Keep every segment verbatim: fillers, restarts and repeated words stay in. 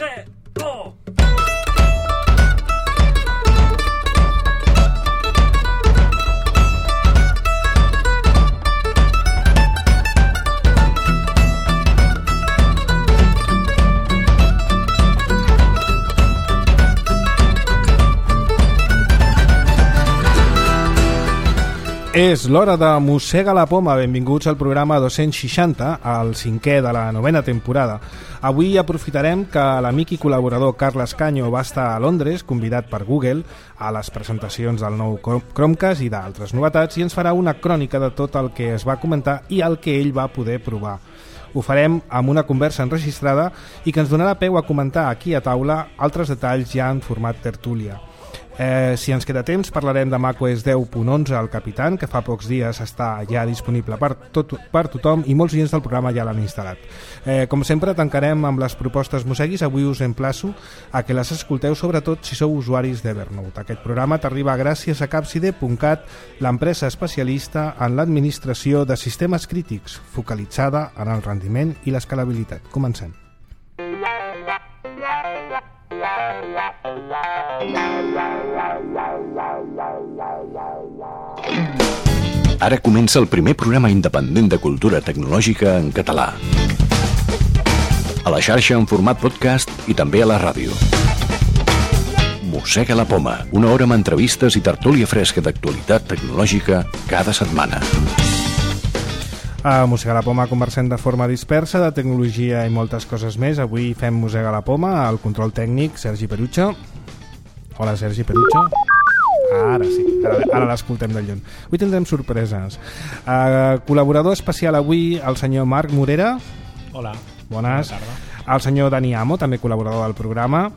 tres, dos... És l'hora de Mossega la Poma. Benvinguts al programa dos-cents seixanta, el cinquè de la novena temporada. Avui aprofitarem que l'amic i col·laborador Carles Canyo va estar a Londres, convidat per Google, a les presentacions del nou Chromecast i d'altres novetats, i ens farà una crònica de tot el que es va comentar i el que ell va poder provar. Ho farem amb una conversa enregistrada i que ens donarà peu a comentar aquí a taula altres detalls ja en format tertúlia. Eh, si ens queda temps parlarem de macOS deu punt onze al Capitan, que fa pocs dies està ja disponible per, tot, per tothom i molts oients del programa ja l'han instal·lat. Eh, com sempre tancarem amb les propostes Mosseguis. Avui us emplaço a que les escolteu, sobretot si sou usuaris d'Evernote. Aquest programa t'arriba gràcies a Capside punt cat, l'empresa especialista en l'administració de sistemes crítics, focalitzada en el rendiment i l'escalabilitat. Comencem. Ara comença el primer programa independent de cultura tecnològica en català. A la xarxa en format podcast i també a la ràdio. Mossega la Poma, una hora amb entrevistes i tertúlia fresca d'actualitat tecnològica cada setmana. A Mossega la Poma conversem de forma dispersa de tecnologia i moltes coses més. Avui fem Mossega la Poma, al control tècnic Sergi Perucho. Hola Sergi Perucho. Ara sí, ara, ara l'escoltem de lluny. Avui tindrem sorpreses. Uh, col·laborador especial avui el senyor Marc Morera. Hola. Bones. Bona tarda. El senyor Dani Amo, també col·laborador del programa.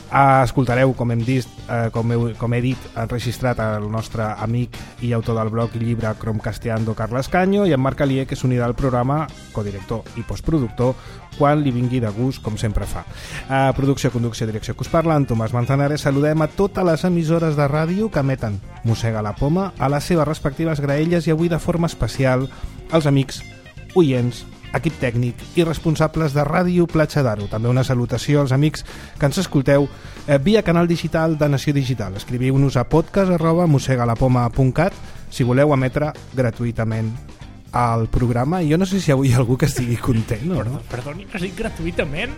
Uh, escoltareu, com hem dit, uh, com, he, com he dit, enregistrat el nostre amic i autor del blog i llibre Chromecasteando, Carles Canyo, i en Marc Alier, que s'unirà al programa, codirector i postproductor, quan li vingui de gust, com sempre fa. Uh, producció, conducció, direcció que us parla, en Tomàs Manzanares. Saludem a totes les emissores de ràdio que emeten Mossega la Poma a les seves respectives graelles, i avui de forma especial als amics, oients, equip tècnic i responsables de Ràdio Platja d'Aro. També una salutació als amics que ens escolteu eh, via canal digital de Nació Digital. Escriviu-nos a podcast arroba mossegalapoma punt cat si voleu emetre gratuïtament al programa. I jo no sé si avui hi ha algú que estigui content o no. Perdoni, has dit gratuïtament?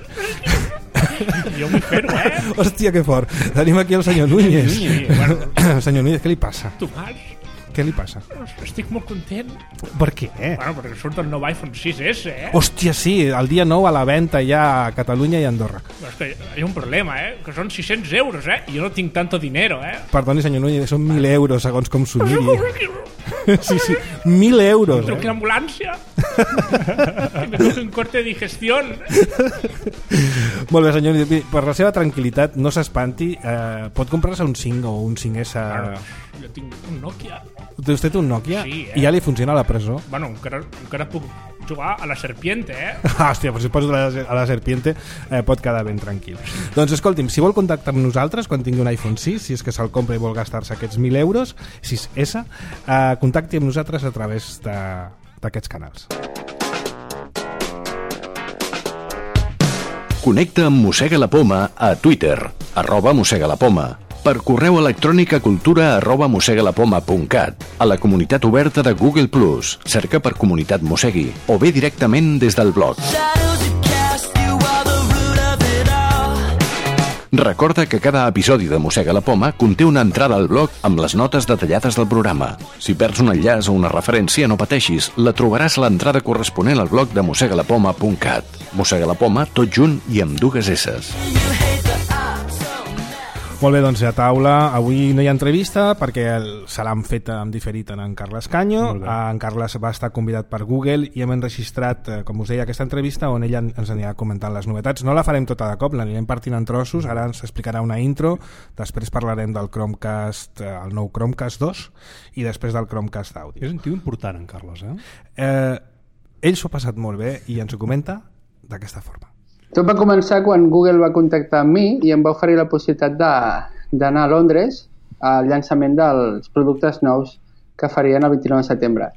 Jo m'hi fer-ho, eh? Hòstia, que fort. Tenim aquí el senyor Núñez. Núñez, bueno. Senyor Núñez, què li passa? Tomàs. Què li passa? Estic molt content. Per què? Bueno, perquè surt el nou iPhone sis esse, eh? Hòstia, sí, el dia nou a la venda ja a Catalunya i a Andorra. Però és que hi ha un problema, eh? Que són sis-cents euros, eh? I jo no tinc tanto dinero, eh? Perdoni, senyor Núñez, són mil euros, segons com s'ho miri. Sí, sí, mil euros, Truqui eh? l'ambulància. I me toca un corte de digestió. Molt bé, senyor Núñez, per la seva tranquil·litat, no s'espanti, eh, pot comprar-se un cinc o un cinc esse. Bueno, jo tinc un Nokia. Vostè té un Nokia? Sí, eh? I ja li funciona a la presó? Bueno, encara, encara puc jugar a la Serpiente, eh? Ah, hòstia, però si poso a la, a la Serpiente eh, pot quedar ben tranquil. Doncs escolti'm, si vol contactar amb nosaltres quan tingui un iPhone sis, si és que se'l compra i vol gastar-se aquests mil euros, sis esse, eh, contacti amb nosaltres a través d'aquests canals. Connecta amb Mossega la Poma a Twitter, arroba Mossega la Poma, per correu electrònic a cultura arroba mossegalapoma punt cat, a la comunitat oberta de Google plus, cerca per Comunitat Mossegui, o bé directament des del blog. Recorda que cada episodi de Mossega la Poma conté una entrada al blog amb les notes detallades del programa. Si perds un enllaç o una referència, no pateixis, la trobaràs a l'entrada corresponent al blog de mossegalapoma punt cat. Mossega la Poma, tot junt i amb dues esses. Molt bé, doncs a taula avui no hi ha entrevista perquè se l'han fet en diferit en Carles Canyo. En Carles va estar convidat per Google i hem enregistrat, com us deia, aquesta entrevista on ella ens anirà comentant les novetats. No la farem tota de cop, l'anirem partint en trossos. Ara ens explicarà una intro, després parlarem del Chromecast, el nou Chromecast dos, i després del Chromecast Audio. És un tio important, en Carles, eh? eh ell s'ho ha passat molt bé i ens ho comenta d'aquesta forma. Tot va començar quan Google va contactar amb mi i em va oferir la possibilitat d'anar a Londres al llançament dels productes nous que farien el vint-i-nou de setembre.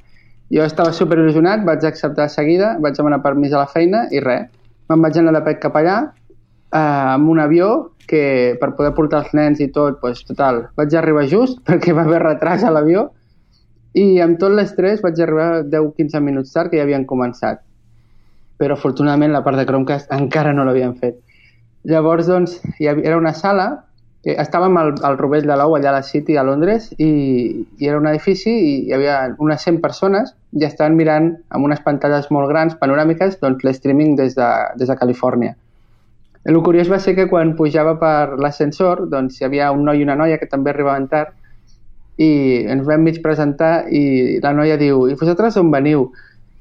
Jo estava superil·lusionat, vaig acceptar de seguida, vaig demanar permís a la feina i res. Me'n vaig anar de pet cap allà, amb un avió que per poder portar els nens i tot, doncs, total, vaig arribar just perquè va haver retras a l'avió i amb tot l'estrès vaig arribar deu a quinze minuts tard que ja havien començat. Però afortunadament la part de Chromecast encara no l'havien fet. Llavors, doncs, hi havia, era una sala, que estàvem al, al Rovell de l'Ou, allà a la City, a Londres, i, i era un edifici i hi havia unes cent persones i estaven mirant amb unes pantalles molt grans, panoràmiques, doncs, l'streaming des de, des de Califòrnia. El curiós va ser que quan pujava per l'ascensor, doncs hi havia un noi i una noia que també arribaven tard i ens vam mig presentar i la noia diu, i vosaltres on veniu?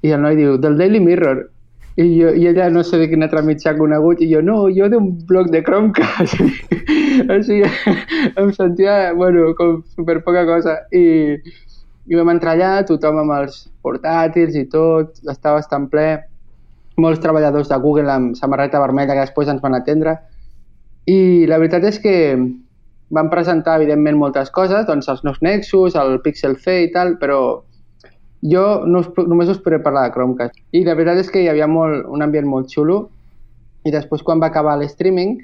I el noi diu, del Daily Mirror. I, jo, i ella no sé de quin altre mitjà conegut i jo, no, jo d'un blog de Chromecast. O sigui, em sentia, bueno, com super poca cosa. I, i vam entrar allà, tothom amb els portàtils i tot, estava bastant ple. Molts treballadors de Google amb samarreta vermella que després ens van atendre. I la veritat és que van presentar, evidentment, moltes coses, doncs els nous Nexus, el Pixel C i tal, però jo no us, només us podré parlar de Chromecast. I la veritat és que hi havia molt, un ambient molt xulo i després quan va acabar l'streaming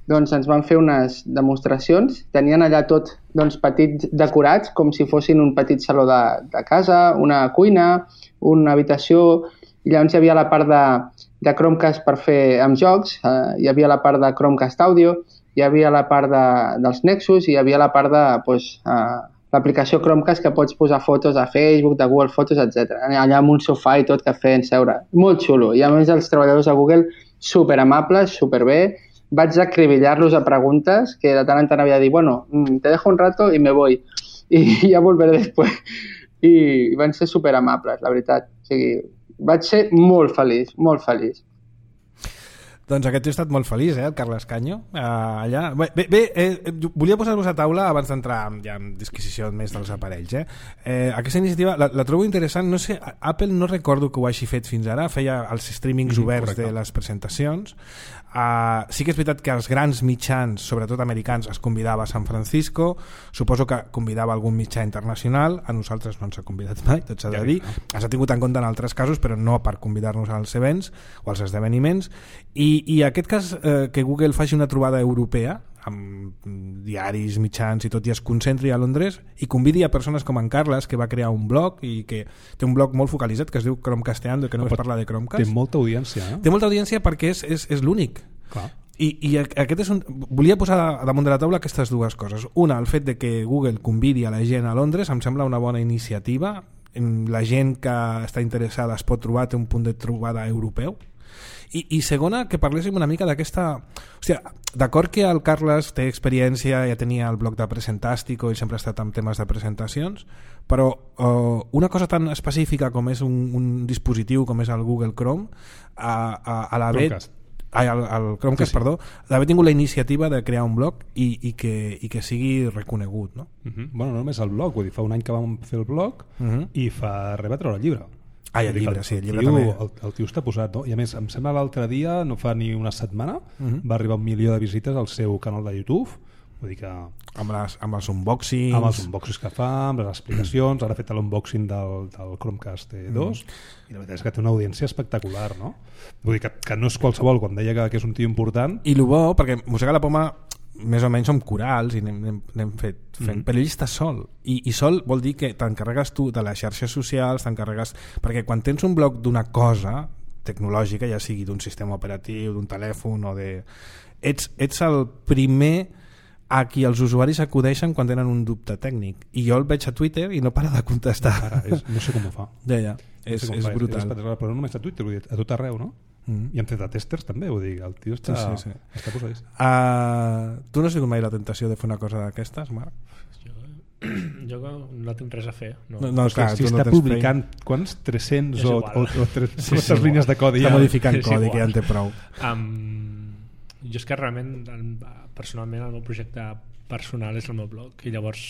doncs ens van fer unes demostracions. Tenien allà tot doncs, petits decorats com si fossin un petit saló de, de casa, una cuina, una habitació. I llavors hi havia la part de, de Chromecast per fer amb jocs, eh, hi havia la part de Chromecast Audio, hi havia la part de, dels Nexus i hi havia la part de pues, eh, l'aplicació Chromecast que pots posar fotos a Facebook, de Google Fotos, etcètera. Allà amb un sofà i tot que feien seure. Molt xulo. I a més els treballadors de Google super amables, super bé. Vaig acribillar-los a preguntes que de tant en tant havia de dir, bueno, te dejo un rato y me voy. I ja volveré després. I van ser super amables, la veritat. O sigui, vaig ser molt feliç, molt feliç. Doncs aquest tio ha estat molt feliç, eh, el Carles Canyo, uh, allà. Bé, bé eh, volia posar-vos a taula abans d'entrar ja en disquisició més dels aparells. Eh. Eh, aquesta iniciativa la, la trobo interessant. No sé, Apple no recordo que ho hagi fet fins ara, feia els streamings mm, oberts correcte. De les presentacions. Uh, sí que és veritat que els grans mitjans, sobretot americans, es convidava a San Francisco, suposo que convidava algun mitjà internacional, a nosaltres no ens ha convidat mai, tot s'ha de dir, s'ha tingut en compte en altres casos, però no per convidar-nos als events o als esdeveniments, i, i aquest cas eh, que Google faci una trobada europea amb diaris, mitjans i tot, i es concentri a Londres i convidi a persones com en Carles, que va crear un blog i que té un blog molt focalitzat que es diu Chromecasteando, que no es parla de Chromecast. Té molta audiència, eh? Té molta audiència perquè és, és, és l'únic. Clar. I, i aquest és un... volia posar damunt de la taula aquestes dues coses. Una, el fet de que Google convidi a la gent a Londres em sembla una bona iniciativa. La gent que està interessada es pot trobar, té un punt de trobada europeu. I, i segona, que parléssim una mica d'aquesta... Hòstia, d'acord que el Carles té experiència, ja tenia el blog de Presentàstico i sempre ha estat en temes de presentacions, però uh, una cosa tan específica com és un, un dispositiu com és el Google Chrome, a, a, a l'haver... Chromecast. Ai, el, el Chromecast, sí, sí. Perdó, d'haver tingut la iniciativa de crear un blog i, i, que, i que sigui reconegut, no? Uh -huh. Bueno, no només el blog, vull dir, fa un any que vam fer el blog uh -huh. i fa res va treure el llibre. Ah, el llibre, sí, el llibre tio, també. El, el tio està posat, no? I a més, em sembla l'altre dia, no fa ni una setmana, uh -huh. va arribar un milió de visites al seu canal de YouTube. Vull dir que... Amb, les, amb els unboxings... Amb els unboxings que fa, amb les explicacions, ara ha fet l'unboxing del, del Chromecast dos, mm. i la veritat és que té una audiència espectacular, no? Vull dir que, que no és qualsevol, quan deia que, que és un tio important... I el bo, perquè Mossega la Poma més o menys som corals i n'hem, n'hem fet fent, mm. però ell està sol I, i sol vol dir que t'encarregues tu de les xarxes socials, t'encarregues... perquè quan tens un blog d'una cosa tecnològica, ja sigui d'un sistema operatiu, d'un telèfon o de... Ets, ets el primer a qui els usuaris acudeixen quan tenen un dubte tècnic, i jo el veig a Twitter i no para de contestar. No, para, és, no sé com ho fa. Ja, ja, és, no sé és brutal. És, és, però no només a Twitter, vull dir, a tot arreu, no? Mm. I hem fet a testers també, vull dir, el tio està, sí, sí, sí. està posadís. Uh, tu no has tingut mai la tentació de fer una cosa d'aquestes, Marc? Jo, jo no tinc res a fer. No, no, no clar, si està no publicant feina. Quants? tres-cents o, o, o tres-cents sí, sí, línies de codi. Està ja. Modificant és codi, igual. Que ja en té prou. Um, jo és que realment, personalment, el meu projecte personal és el meu blog, i llavors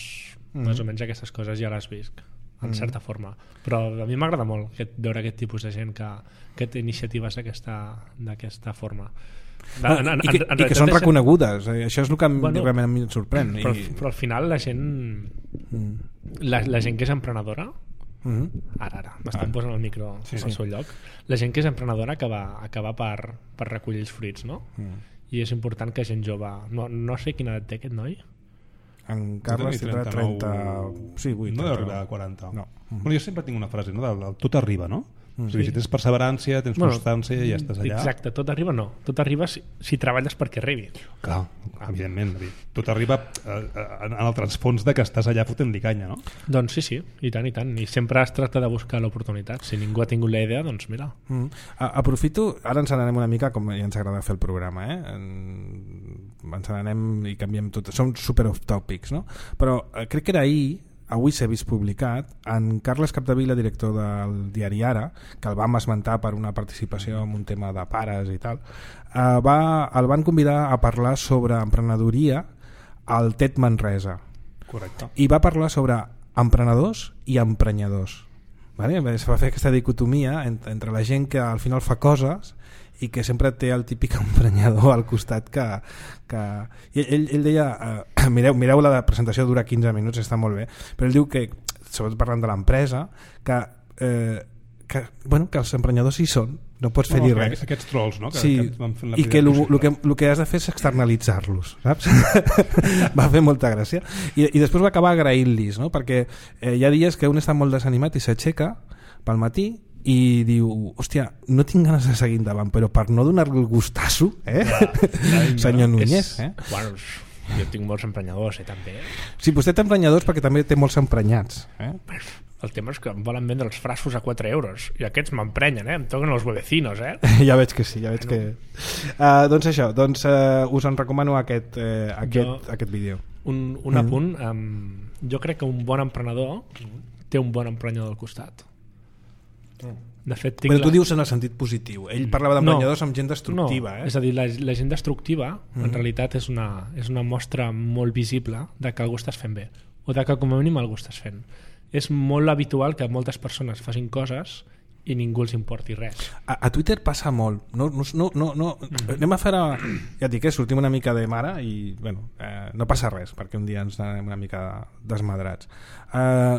mm. més o menys aquestes coses ja les visc en mm. certa forma, però a mi m'agrada molt aquest, veure aquest tipus de gent que, que té iniciatives d'aquesta forma. De, en, en, I que, en, en i que són reconegudes, eh? Això és el que bueno, realment a mi em sorprèn. Però, I... però al final la gent mm. la, la gent que és emprenedora mm. ara, ara, m'estan ah. posant el micro sí, al sí. seu lloc, la gent que és emprenedora acaba, acaba per, per recollir els fruits, no? Mm. i és important que gent jove... No, no sé quina edat té aquest noi. En Carles tindrà trenta... Sí, vuit. No deu arribar a quaranta. No. Bueno, jo sempre tinc una frase, no? Del, del tot arriba, no? Mm. O sigui, si tens perseverància, tens Bueno, constància i ja estàs allà. Exacte, tot arriba no. Tot arriba si, si treballes perquè arribi. Clar, evidentment. Tot arriba eh, en el transfons de que estàs allà fotent-li canya, no? Doncs sí, sí, i tant, i tant. I sempre es tracta de buscar l'oportunitat. Si ningú ha tingut la idea, doncs mira. Mm. A, aprofito, ara ens n'anem una mica com ja ens agrada fer el programa, eh? En, ens n'anem i canviem tot. Som super off topics, no? Però eh, crec que era ahir, avui s'ha vist publicat, en Carles Capdevila, director del diari Ara, que el vam esmentar per una participació en un tema de pares i tal, eh, va, el van convidar a parlar sobre emprenedoria al TED Manresa. Correcte. I va parlar sobre emprenedors i emprenyadors. Vale? Es va fer aquesta dicotomia entre, entre la gent que al final fa coses i que sempre té el típic emprenyador al costat que... que... I ell, ell deia, eh, mireu, mireu la presentació, dura quinze minuts, està molt bé, però ell diu que, sobretot parlant de l'empresa, que, eh, que, bueno, que els emprenyadors hi són, no pots fer-hi no, res. Aquests trolls, no? Que, sí, que van fent la i que el que, lo que has de fer és externalitzar-los, saps? Va fer molta gràcia. I, i després va acabar agraint-los, no? Perquè eh, hi ha dies que un està molt desanimat i s'aixeca pel matí i diu, hòstia, no tinc ganes de seguir endavant, però per no donar-li el gustasso, eh? Ja, ja, senyor Núñez, eh? Bueno, jo tinc molts emprenyadors, eh, també. Sí, vostè té emprenyadors perquè també té molts emprenyats, eh? El tema és que em volen vendre els frascos a quatre euros i aquests m'emprenyen, eh? Em toquen els huevecinos, eh? Ja veig que sí, ja veig que... Uh, doncs això, doncs uh, us en recomano aquest, uh, aquest, jo, aquest vídeo. Un, un apunt, um, jo crec que un bon emprenedor té un bon emprenyador al costat. De fet, però tu la... dius en el sentit positiu. Ell parlava d'emprenyadors no, amb gent destructiva, no, eh? És a dir, la, la gent destructiva mm. en realitat és una, és una mostra molt visible de que algú estàs fent bé o de que com a mínim algú estàs fent. És molt habitual que moltes persones facin coses i ningú els importi res. A, a Twitter passa molt. No, no, no, no, no. Mm. Anem a fer... A... Ja et dic, eh, sortim una mica de mare i bueno, eh, no passa res perquè un dia ens anem una mica desmadrats. Eh,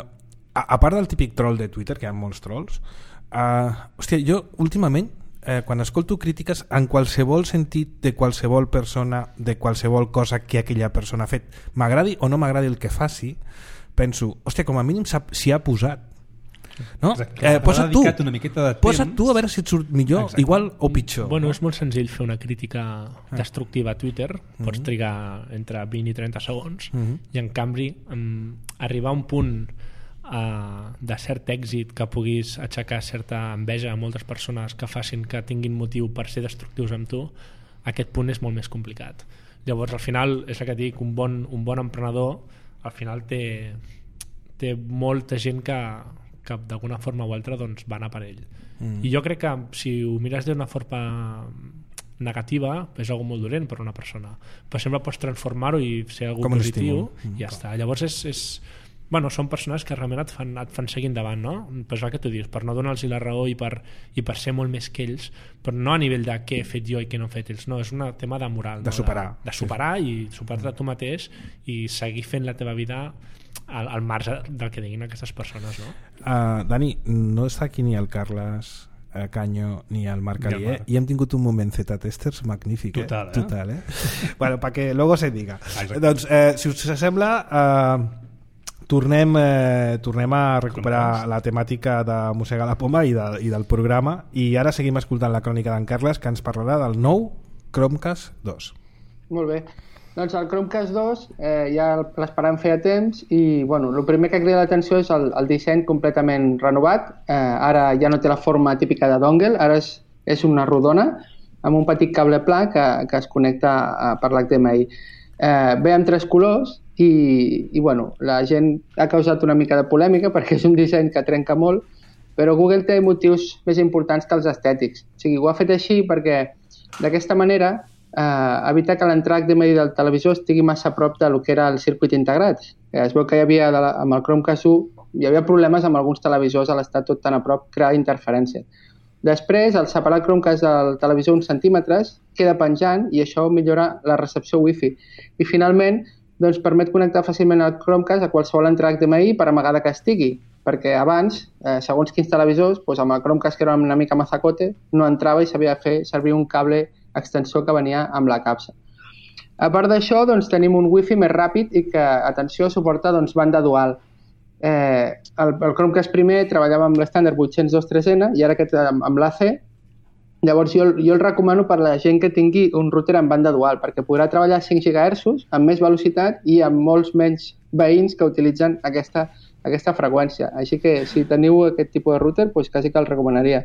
a, a part del típic troll de Twitter, que hi ha molts trolls, Uh, hòstia, jo últimament eh, quan escolto crítiques en qualsevol sentit de qualsevol persona, de qualsevol cosa que aquella persona ha fet, m'agradi o no m'agradi el que faci, penso, hòstia, com a mínim s'hi ha posat, no? Eh, posa't tu una miqueta de temps. Posa't tu a veure si et surt millor. Exacte. Igual o pitjor. Bueno, és molt senzill fer una crítica destructiva a Twitter, pots trigar entre vint i trenta segons uh-huh. i en canvi um, arribar a un punt Uh, de cert èxit que puguis aixecar certa enveja a moltes persones que facin que tinguin motiu per ser destructius amb tu, aquest punt és molt més complicat. Llavors al final és el que dic, un bon, un bon emprenedor al final té, té molta gent que, que d'alguna forma o altra doncs, va anar per ell mm. i jo crec que si ho mires d'una forma negativa és algo molt dolent per una persona, però sempre pots transformar-ho i ser algo com positiu mm. i ja està. Llavors és, és bueno, són persones que realment et fan, et fan seguir endavant, no? Però és el que tu dius, per no donar-los la raó i per, i per ser molt més que ells, però no a nivell de què he fet jo i què no he fet ells, no, és un tema de moral, de no? superar, de, de superar sí. I superar-te tu mateix i seguir fent la teva vida al, al marge del que diguin aquestes persones, no? Uh, Dani, no està aquí ni el Carles eh, Canyo ni el Marc Alier i hem tingut un moment Z-testers magnífic, total, eh? eh? Total, eh? Bueno, perquè luego se diga. Exacte. Doncs, eh, si us sembla... Eh, Tornem, eh, tornem a recuperar la temàtica de Mossegar la Poma i, de, i del programa i ara seguim escoltant la crònica d'en Carles que ens parlarà del nou Chromecast dos. Molt bé. Doncs el Chromecast dos eh, ja l'esperàvem feia temps i bueno, el primer que crida l'atenció és el, el disseny completament renovat. Eh, ara ja no té la forma típica de dongle, ara és, és una rodona amb un petit cable pla que, que es connecta a, per l'H D M I. Eh, ve amb tres colors i, i bueno, la gent ha causat una mica de polèmica perquè és un disseny que trenca molt, però Google té motius més importants que els estètics. O sigui, ho ha fet així perquè d'aquesta manera eh, evita que l'entrada H D M I del televisor estigui massa a prop del que era el circuit integrat. Eh, es veu que hi havia, de la, amb el Chromecast u, hi havia problemes amb alguns televisors a l'estar tot tan a prop, crear interferència. Després, al separar el Chromecast del televisor uns centímetres, queda penjant i això millora la recepció Wi-Fi. I finalment, doncs, permet connectar fàcilment el Chromecast a qualsevol entrada H D M I per amagada que estigui, perquè abans, eh, segons quins televisors, doncs amb el Chromecast que era una mica mazacote, no entrava i s'havia de fer servir un cable extensor que venia amb la capsa. A part d'això, doncs, tenim un wifi més ràpid i que, atenció, suporta doncs, banda dual. Eh, el, el Chromecast primer treballava amb l'estàndard vuit-cents vint tres ena i ara aquest amb, amb l'A C. Llavors jo, jo el recomano per la gent que tingui un router amb banda dual, perquè podrà treballar a cinc gigahertzs amb més velocitat i amb molts menys veïns que utilitzen aquesta, aquesta freqüència. Així que si teniu aquest tipus de router, doncs quasi que el recomanaria.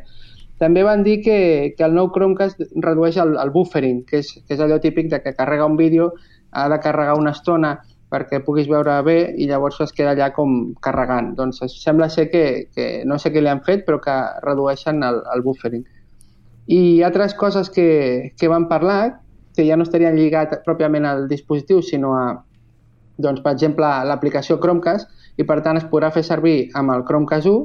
També van dir que, que el nou Chromecast redueix el, el buffering, que és, que és allò típic de que carrega un vídeo, ha de carregar una estona perquè puguis veure bé i llavors es queda allà com carregant. Doncs sembla ser que, que no sé què li han fet, però que redueixen el, el buffering. I altres coses que, que van parlar, que ja no estarien lligats pròpiament al dispositiu, sinó a, doncs, per exemple, l'aplicació Chromecast, i per tant es podrà fer servir amb el Chromecast u,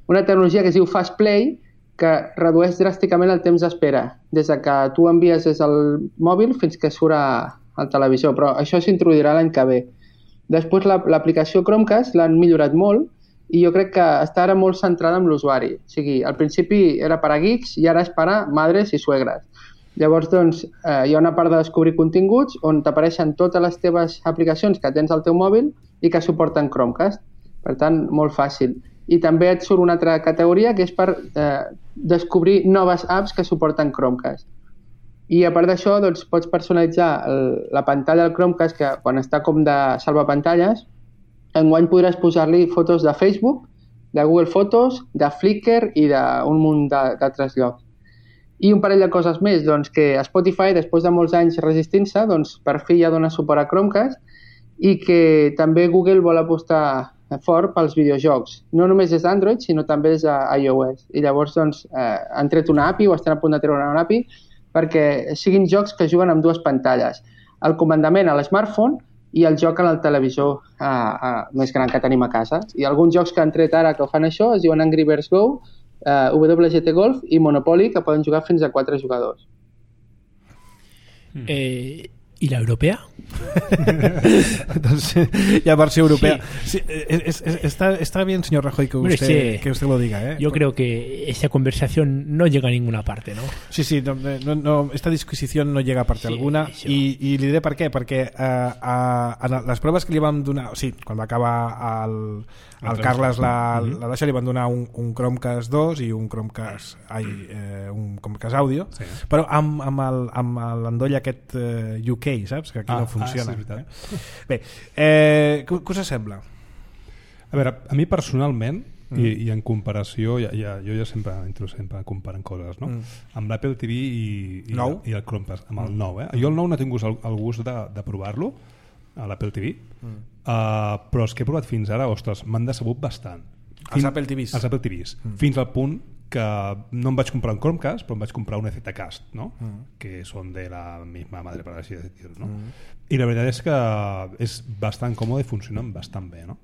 una tecnologia que es diu Fast Play, que redueix dràsticament el temps d'espera, des de que tu envies des del mòbil fins que surt al televisor, però això s'introduirà l'any que ve. Després l'aplicació Chromecast l'han millorat molt i jo crec que està ara molt centrada en l'usuari. O sigui, al principi era per a geeks i ara és per a madres i suegres. Llavors, doncs, eh, hi ha una part de descobrir continguts on t'apareixen totes les teves aplicacions que tens al teu mòbil i que suporten Chromecast. Per tant, molt fàcil. I també et surt una altra categoria que és per eh, descobrir noves apps que suporten Chromecast. I a part d'això, doncs, pots personalitzar el, la pantalla del Chromecast, que quan està com de salvapantalles, enguany podràs posar-li fotos de Facebook, de Google Fotos, de Flickr i d'un munt d'altres llocs. I un parell de coses més, doncs, que Spotify, després de molts anys resistint-se, doncs, per fi ja dona suport a Chromecast i que també Google vol apostar fort pels videojocs, no només des d'Android, sinó també des d'iOS. I llavors doncs, eh, han tret una A P I o estan a punt de treure una A P I perquè siguin jocs que juguen amb dues pantalles. El comandament a l'smartphone i el joc en el televisor eh, eh, més gran que tenim a casa. I alguns jocs que han tret ara que fan això es diuen Angry Birds Go, eh, W G T Golf i Monopoly, que poden jugar fins a quatre jugadors. Eh... ¿Y la europea? Entonces, ya versió europea. Sí. Sí, es, es, está, está bien, señor Rajoy, que usted, sí, que usted lo diga. ¿eh? Yo creo que esa conversación no llega a ninguna parte, ¿no? Sí, sí, no, no, no, esta disquisición no llega a parte sí, alguna. Sí. I, I li diré per què. Perquè eh, a, a les proves que li vam donar... O sigui, quan va acabar el, el Carles la, la Dasha, li van donar un, un Chromecast dos i un Chromecast, ai, eh, un Chromecast Audio, sí. Però amb, amb, el, amb l'endoll aquest eh, U K, saps? Que aquí ah, no funciona. Ah, sí, eh? Bé, eh, què, què us sembla? A veure, a mi personalment, mm. i, i en comparació, ja, ja, jo ja sempre entro sempre comparant coses, no? Mm. Amb l'Apple T V i, i, i el Chromecast, amb el nou. Eh? Jo el nou no he tingut el, el gust de, de provar-lo, a l'Apple T V, mm. uh, però els que he provat fins ara, ostres, m'han decebut bastant. Fins, els Apple T Vs? Els Apple T Vs, mm. fins al punt que no em vaig comprar un Chromecast, però em vaig comprar un Zcast, ¿no? Mm. Que són de la misma madre, per així dir-ho, no? Mm. I la veritat és que és bastant còmode i funcionen bastant bé, no?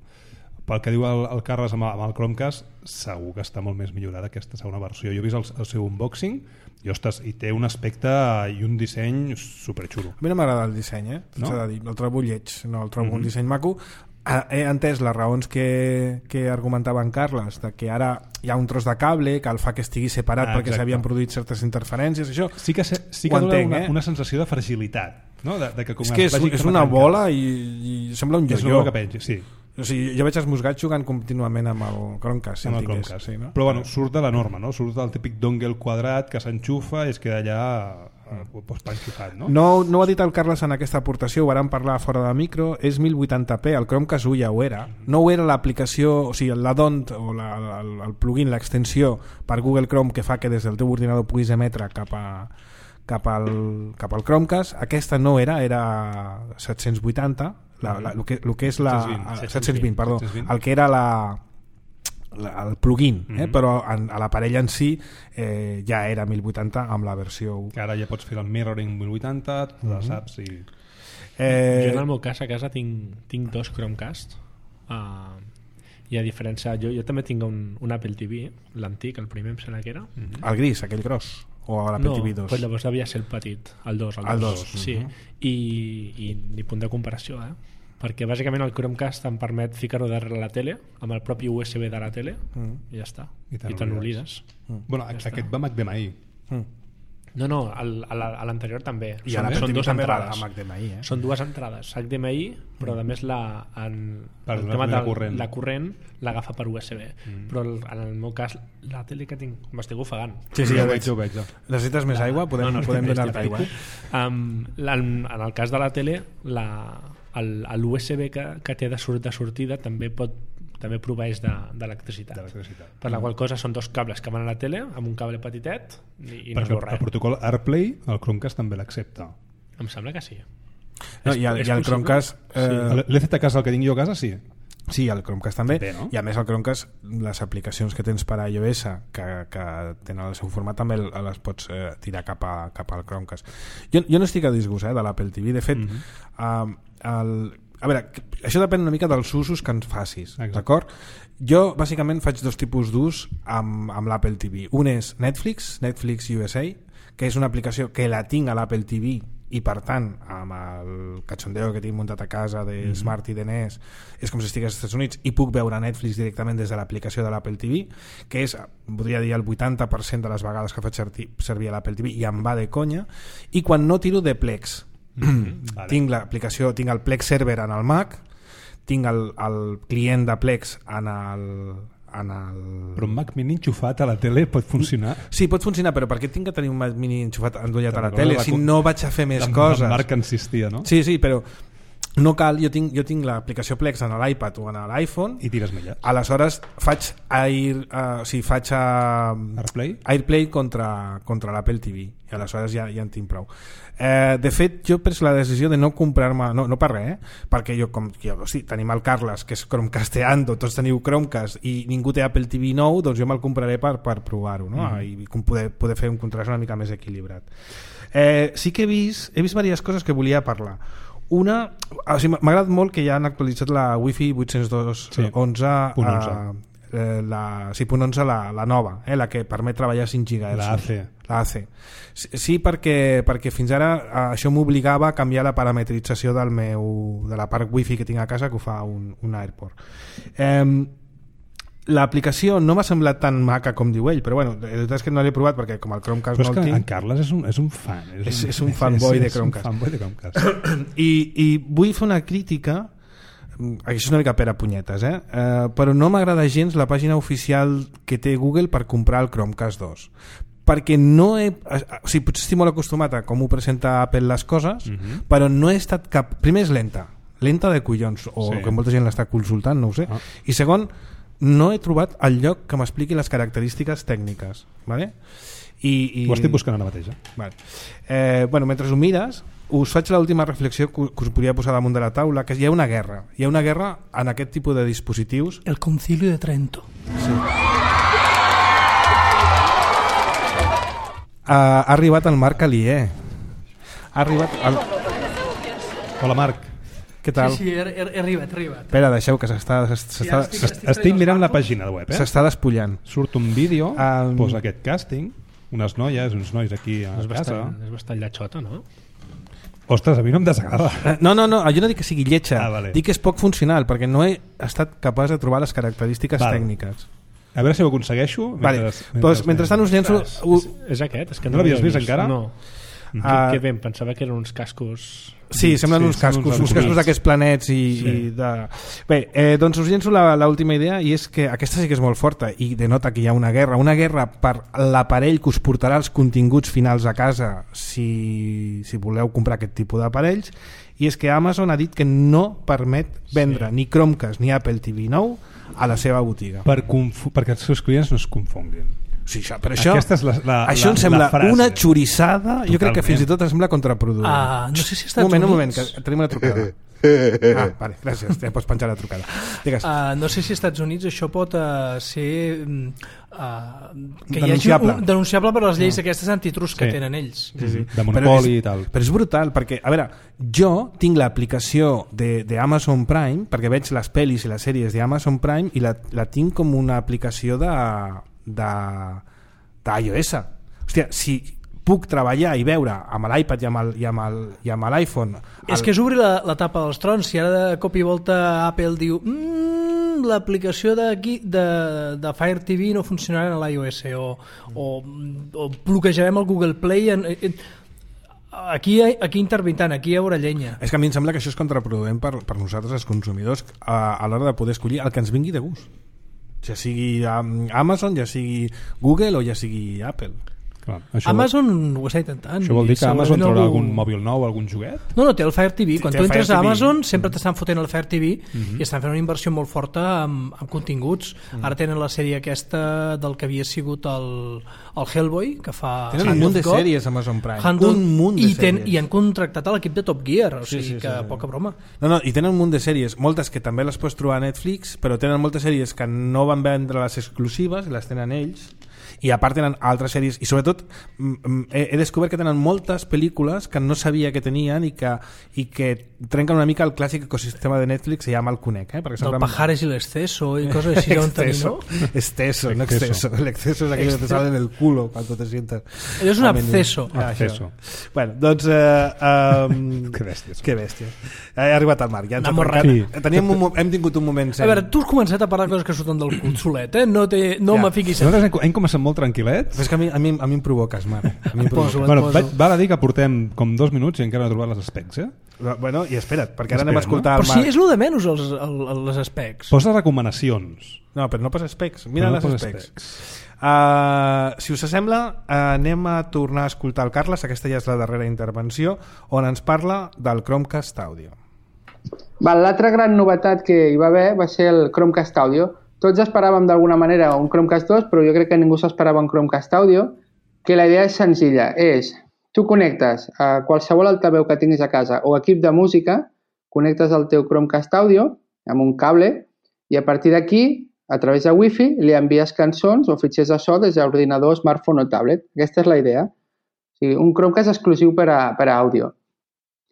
Pel que diu el, el Carles amb el, amb el Chromecast, segur que està molt més millorada aquesta segona versió. Jo he vist el, el seu unboxing i, ostres, i té un aspecte i un disseny superxulo. A mi no m'agrada el disseny, eh? No? S'ha de dir, el trobo lleig, no el trobo mm-hmm. un disseny maco. He entès les raons que, que argumentava en Carles, de que ara hi ha un tros de cable que el fa que estigui separat ah, perquè s'havien produït certes interferències, això sí que, se, sí que dona una, eh? una sensació de fragilitat, no? De, de que com és que és, és una bola i, i sembla un jo-jo. Que pengi, sí. O sigui, jo veig els musgats jugant contínuament amb el Chromecast, si amb el Chromecast. Sí, no? Però bueno, surt de la norma, no? Surt del típic dongle quadrat que s'enxufa i es queda allà pues, panxufat, no? No, no ho ha dit el Carles en aquesta aportació, ho vàrem parlar fora de micro, és mil vuitanta p, el Chromecast u ja ho era. No ho era l'aplicació, o sigui, la D O N T o la, el, el plugin, l'extensió per Google Chrome que fa que des del teu ordinador puguis emetre cap a cap al, cap al Chromecast. Aquesta no era, era set-cents vuitanta, la, la, el, que, el que és la set-cents vint, perdó, el que era la, la el plugin, eh? Mm-hmm. Però en, a l'aparell en si eh, ja era mil vuitanta amb la versió u. Que ara ja pots fer el mirroring mil vuitanta, mm-hmm. la saps i... Eh... Jo en el meu cas a casa tinc, tinc dos Chromecast uh, i a diferència jo, jo també tinc un, un Apple T V, l'antic, el primer em sembla que era mm-hmm. el gris, aquell gros o l'Apple no, T V dos? No, pues llavors devia ser el petit, el dos, el, el dos, dos. Sí. Uh-huh. I, i ni punt de comparació, eh? Perquè bàsicament el Chromecast em permet ficar-ho darrere la tele amb el propi U S B de la tele uh-huh. i ja està, i te n'oblides. Uh-huh. Bueno, ja aquest està. Va H D M I. Uh-huh. No, no, al, a la- a l'anterior també. I Són, a l'Apple són T V dues també va entrades. amb H D M I, eh? Són dues entrades H D M I, però a més la, en, Per el donar tema la de corrent. la corrent l'agafa per U S B. Mm. Però el, en el meu cas, la tele que tinc, m'estic ofegant. Sí, sí, ja ho veig. veig, ho veig. Ja. Necessites més aigua? Podem, No, no, podem estic bé, donar-te estic aigua. bé. Um, la, en el cas de la tele, la, el, l'U S B que, que té de, sort, de sortida també pot també proveeix d'electricitat. D'electricitat. Per la qual cosa són dos cables que van a la tele amb un cable petitet i, i no es Perquè veu el res. protocol AirPlay, el Chromecast també l'accepta. Em sembla que sí. No, És- i, el, és i el possible? Chromecast... Eh, Sí. L'E Z K és el que tinc jo a casa, sí. Sí, el Chromecast també, També, no? i a més el Chromecast, les aplicacions que tens per a iOS que, que tenen el seu format també les pots eh, tirar cap, a, cap al Chromecast. Jo, jo no estic a disgust eh, de l'Apple T V, de fet Mhm. eh, el, a veure, això depèn una mica dels usos que ens facis, Exacte. d'acord? Jo bàsicament faig dos tipus d'ús amb, amb l'Apple T V. Un és Netflix, Netflix U S A, que és una aplicació que la tinc a l'Apple T V i per tant amb el cachondeo que tinc muntat a casa de mm -hmm. Smart i de N E S és com si estigués als Estats Units i puc veure Netflix directament des de l'aplicació de l'Apple T V, que és, podria dir, el vuitanta per cent de les vegades que faig servir, servir a l'Apple T V i em va de conya. I quan no tiro de Plex, Mm-hmm. Vale. tinc l'aplicació, tinc el Plex Server en el Mac, tinc el, el client de Plex en el, en el... Però un Mac mini enxufat a la tele pot funcionar. Sí, pot funcionar, però per què tinc que tenir un Mac mini enxufat endollat a la Te'n tele recordes si la- no vaig a fer més En- coses? en Marc insistia, no? Sí, sí, però no cal, jo tinc, jo tinc l'aplicació Plex en l'iPad o en l'iPhone, I tires millets. aleshores faig Air, uh, o sigui, faig uh, AirPlay? AirPlay contra, contra l'Apple T V i aleshores ja, ja en tinc prou. Eh, de fet, jo he pres la decisió de no comprar-me, no, no per res, eh? perquè jo, com jo, o sigui, tenim el Carles, que és Chromecasteando, tots teniu Chromecast i ningú té Apple T V nou, doncs jo me'l compraré per, per provar-ho, no? Mm. I com poder, poder fer un contrast una mica més equilibrat. Eh, sí que he vist, he vist diverses coses que volia parlar. Una, o sigui, m'ha agradat molt que ja han actualitzat la Wi-Fi vuit-cents dos Sí, punt onze, punt onze. eh, la, sí, punt onze la, la nova, eh, la que permet treballar cinc gigahertz. La A C. La A C. Sí, sí, perquè, perquè fins ara eh, això m'obligava a canviar la parametrització del meu, de la part Wi-Fi que tinc a casa, que ho fa un, un Airport. Eh, l'aplicació no m'ha semblat tan maca com diu ell, però bueno, la veritat és que no l'he provat perquè com el Chromecast Però és no que el en tinc Carles és un, és un fan. És- és un fanboy de Chromecast. És un fanboy de Chromecast. i, i vull fer una crítica, mm, això és una mica per a punyetes, eh? Eh, però no m'agrada gens la pàgina oficial que té Google per comprar el Chromecast dos, perquè no he, o sigui, potser estic molt acostumat a com ho presenta Apple les coses, Mhm. però no he estat cap... Primer és lenta, lenta de collons, o Sí. que molta gent l'està consultant, no ho sé. Ah. I segon, no he trobat el lloc que m'expliqui les característiques tècniques, vale? I, i... Ho estic buscant ara mateix. Eh? Vale. Eh, bueno, mentre ho mires, us faig l'última reflexió que que us podria posar damunt de la taula, que hi ha una guerra. Hi ha una guerra en aquest tipus de dispositius. El Concilio de Trento. Ha, ha arribat el Marc Alier. Ha arribat... El... Hola, Marc. Què tal? Sí, sí, he, he, he arribat, he arribat. Espera, deixeu que s'està Sí, s'està ara estic- Est- Estic mirant la pàgina web, eh? s'està despullant. Surt un vídeo, Um, posa aquest càsting, unes noies, uns nois aquí a És casa. bastant, és bastant lletxota, no? Ostres, a mi no em desagrada. Eh, No, no, no, jo no dic que sigui lletja, Ah, vale. dic que és poc funcional, perquè no he estat capaç de trobar les característiques Val. tècniques. A veure si ho aconsegueixo. Vale. mentre- Doncs, mentrestant us llenço... És, u- és, és aquest? És que No l'havies l'havia vist encara? No. Ah. Que, que bé, em pensava que eren uns cascos... Sí, semblen Sí, uns són cascos, uns uns cascos aeroplans. d'aquests planets i, Sí. i de... Bé, eh, doncs us llenço la- l'última idea, i és que aquesta sí que és molt forta i denota que hi ha una guerra, una guerra per l'aparell que us portarà els continguts finals a casa si, si voleu comprar aquest tipus d'aparells, i és que Amazon ha dit que no permet vendre Sí. ni Chromecast ni Apple T V nou a la seva botiga. Per confu- perquè els seus clients no es confonguin. Sí, això, però això, Aquesta és la, la, això la, em sembla la frase. una xorissada, jo crec que Totalment. fins i tot em sembla contraproduent. Ah, no sé si als un Estats moment, un Units... moment, que tenim una trucada. Ah, vale, gràcies, ja pots penjar la trucada. Digues. Uh, no sé si als Estats Units això pot uh, ser uh, que Denunciable. hi hagi un, denunciable per les lleis aquestes antitrust que Sí. tenen ells. Sí, sí. De Però monopoli és, i tal. però és brutal, perquè, a veure, jo tinc l'aplicació d'Amazon Prime, perquè veig les pel·lis i les sèries d'Amazon Prime, i la, la tinc com una aplicació de d'iOS. Hòstia, si puc treballar i veure amb l'iPad i amb el- i amb el- i amb l'iPhone... És que és obrir la, la tapa dels trons. Si ara de cop i volta Apple diu mmm, l'aplicació d'aquí de, de Fire T V no funcionarà en l'iOS o, o, o bloquejarem el Google Play en, en, aquí, aquí intervintant, aquí hi haurà llenya. És que a mi em sembla que això és contraproduent per, per nosaltres els consumidors a, a l'hora de poder escollir el que ens vingui de gust, ja sigui Amazon, ja sigui Google o ja sigui Apple. Clar, això Amazon vol... ho està intentant. Això vol dir que Amazon traurà algú... algun mòbil nou, algun joguet? No, no, té el Fire T V. Quan té tu entres a Amazon T V. sempre t'estan fotent el Fire T V Mhm. i estan fent una inversió molt forta amb, amb continguts. Mm. Ara tenen la sèrie aquesta del que havia sigut el, el Hellboy, que fa... Tenen Hand un munt of de God, sèries a Amazon Prime. Hand of- Un munt de i, ten, sèries. I han contractat a l'equip de Top Gear, o Sí, sigui sí, sí, que sí. poca broma. No, no, i tenen un munt de sèries, moltes que també les pots trobar a Netflix, però tenen moltes sèries que no van vendre les exclusives, les tenen ells, i a part tenen altres sèries, i sobretot he, he descobert que tenen moltes pel·lícules que no sabia que tenien i que, i que trenquen una mica el clàssic ecosistema de Netflix, se llama el conec, eh? Perquè Del sempre... Pajares i l'exceso i coses així on tenir, no? Exceso, no exceso. El exceso es aquello que te sale del culo cuando te sientas. Allò és un a menudo. absceso. Ah, Absceso. això. Bueno, doncs... Eh, um, Que bèsties. que bèstia. He arribat al Marc. Ja ens ha N'ha trencat. morrat. Teníem un, mo- hem tingut un moment... A veure, tu has començat a parlar de coses que surten del cul solet, eh? No, té, no Ja. me fiquis... Nosaltres hem, hem començat molt tranquil·lets. És que a mi, a mi, a mi em provoques, Marc. A mi em Poso, provoques. et Bueno, poso. vaig, val a dir que portem com dos minuts i encara no he trobat les specs, eh? Bueno, i espera't, perquè ara anem a Espera, escoltar Però el si Marc. és el de menys els, el, el, les specs. Posa recomanacions. No, però no posa specs. Mira Però no les posa specs. specs. Uh, si us sembla, uh, anem a tornar a escoltar el Carles. Aquesta ja és la darrera intervenció, on ens parla del Chromecast Audio. Val, l'altra gran novetat que hi va haver va ser el Chromecast Audio. Tots esperàvem d'alguna manera un Chromecast dos, però jo crec que ningú s'esperava un Chromecast Audio, que la idea és senzilla, és tu connectes a qualsevol altaveu que tinguis a casa o equip de música, connectes el teu Chromecast Audio amb un cable i a partir d'aquí, a través de Wi-Fi, li envies cançons o fitxers de so des de l'ordinador, smartphone o tablet. Aquesta és la idea. O sigui, un Chromecast exclusiu per a, per a àudio.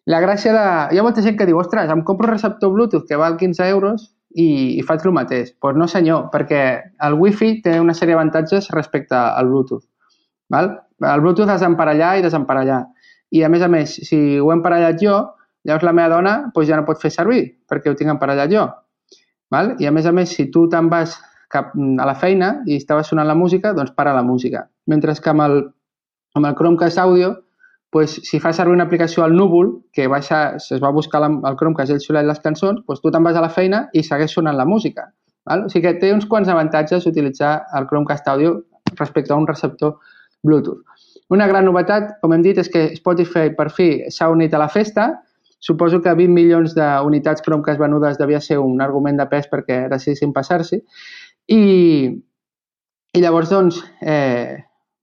La gràcia de... Hi ha molta gent que diu, ostres, em compro un receptor Bluetooth que val quinze euros i, i faig el mateix. Doncs pues no senyor, perquè el Wi-Fi té una sèrie d'avantatges respecte al Bluetooth. Val? El Bluetooth has d'emparellar i desemparellar. I a més a més, si ho he emparellat jo, llavors la meva dona pues, ja no pot fer servir perquè ho tinc emparellat jo. Val? I a més a més, si tu te'n vas cap a la feina i estava sonant la música, doncs para la música. Mentre que amb el, amb el Chromecast Audio, pues, si fa servir una aplicació al núvol, que baixa, es va buscar la, el Chromecast i ell solet les cançons, pues, tu te'n vas a la feina i segueix sonant la música. Val? O sigui que té uns quants avantatges utilitzar el Chromecast Audio respecte a un receptor Bluetooth. Una gran novetat, com hem dit, és que Spotify per fi s'ha unit a la festa. Suposo que vint milions d'unitats Chromecast venudes devia ser un argument de pes perquè decidissin passar-s'hi. I, I llavors, doncs, eh,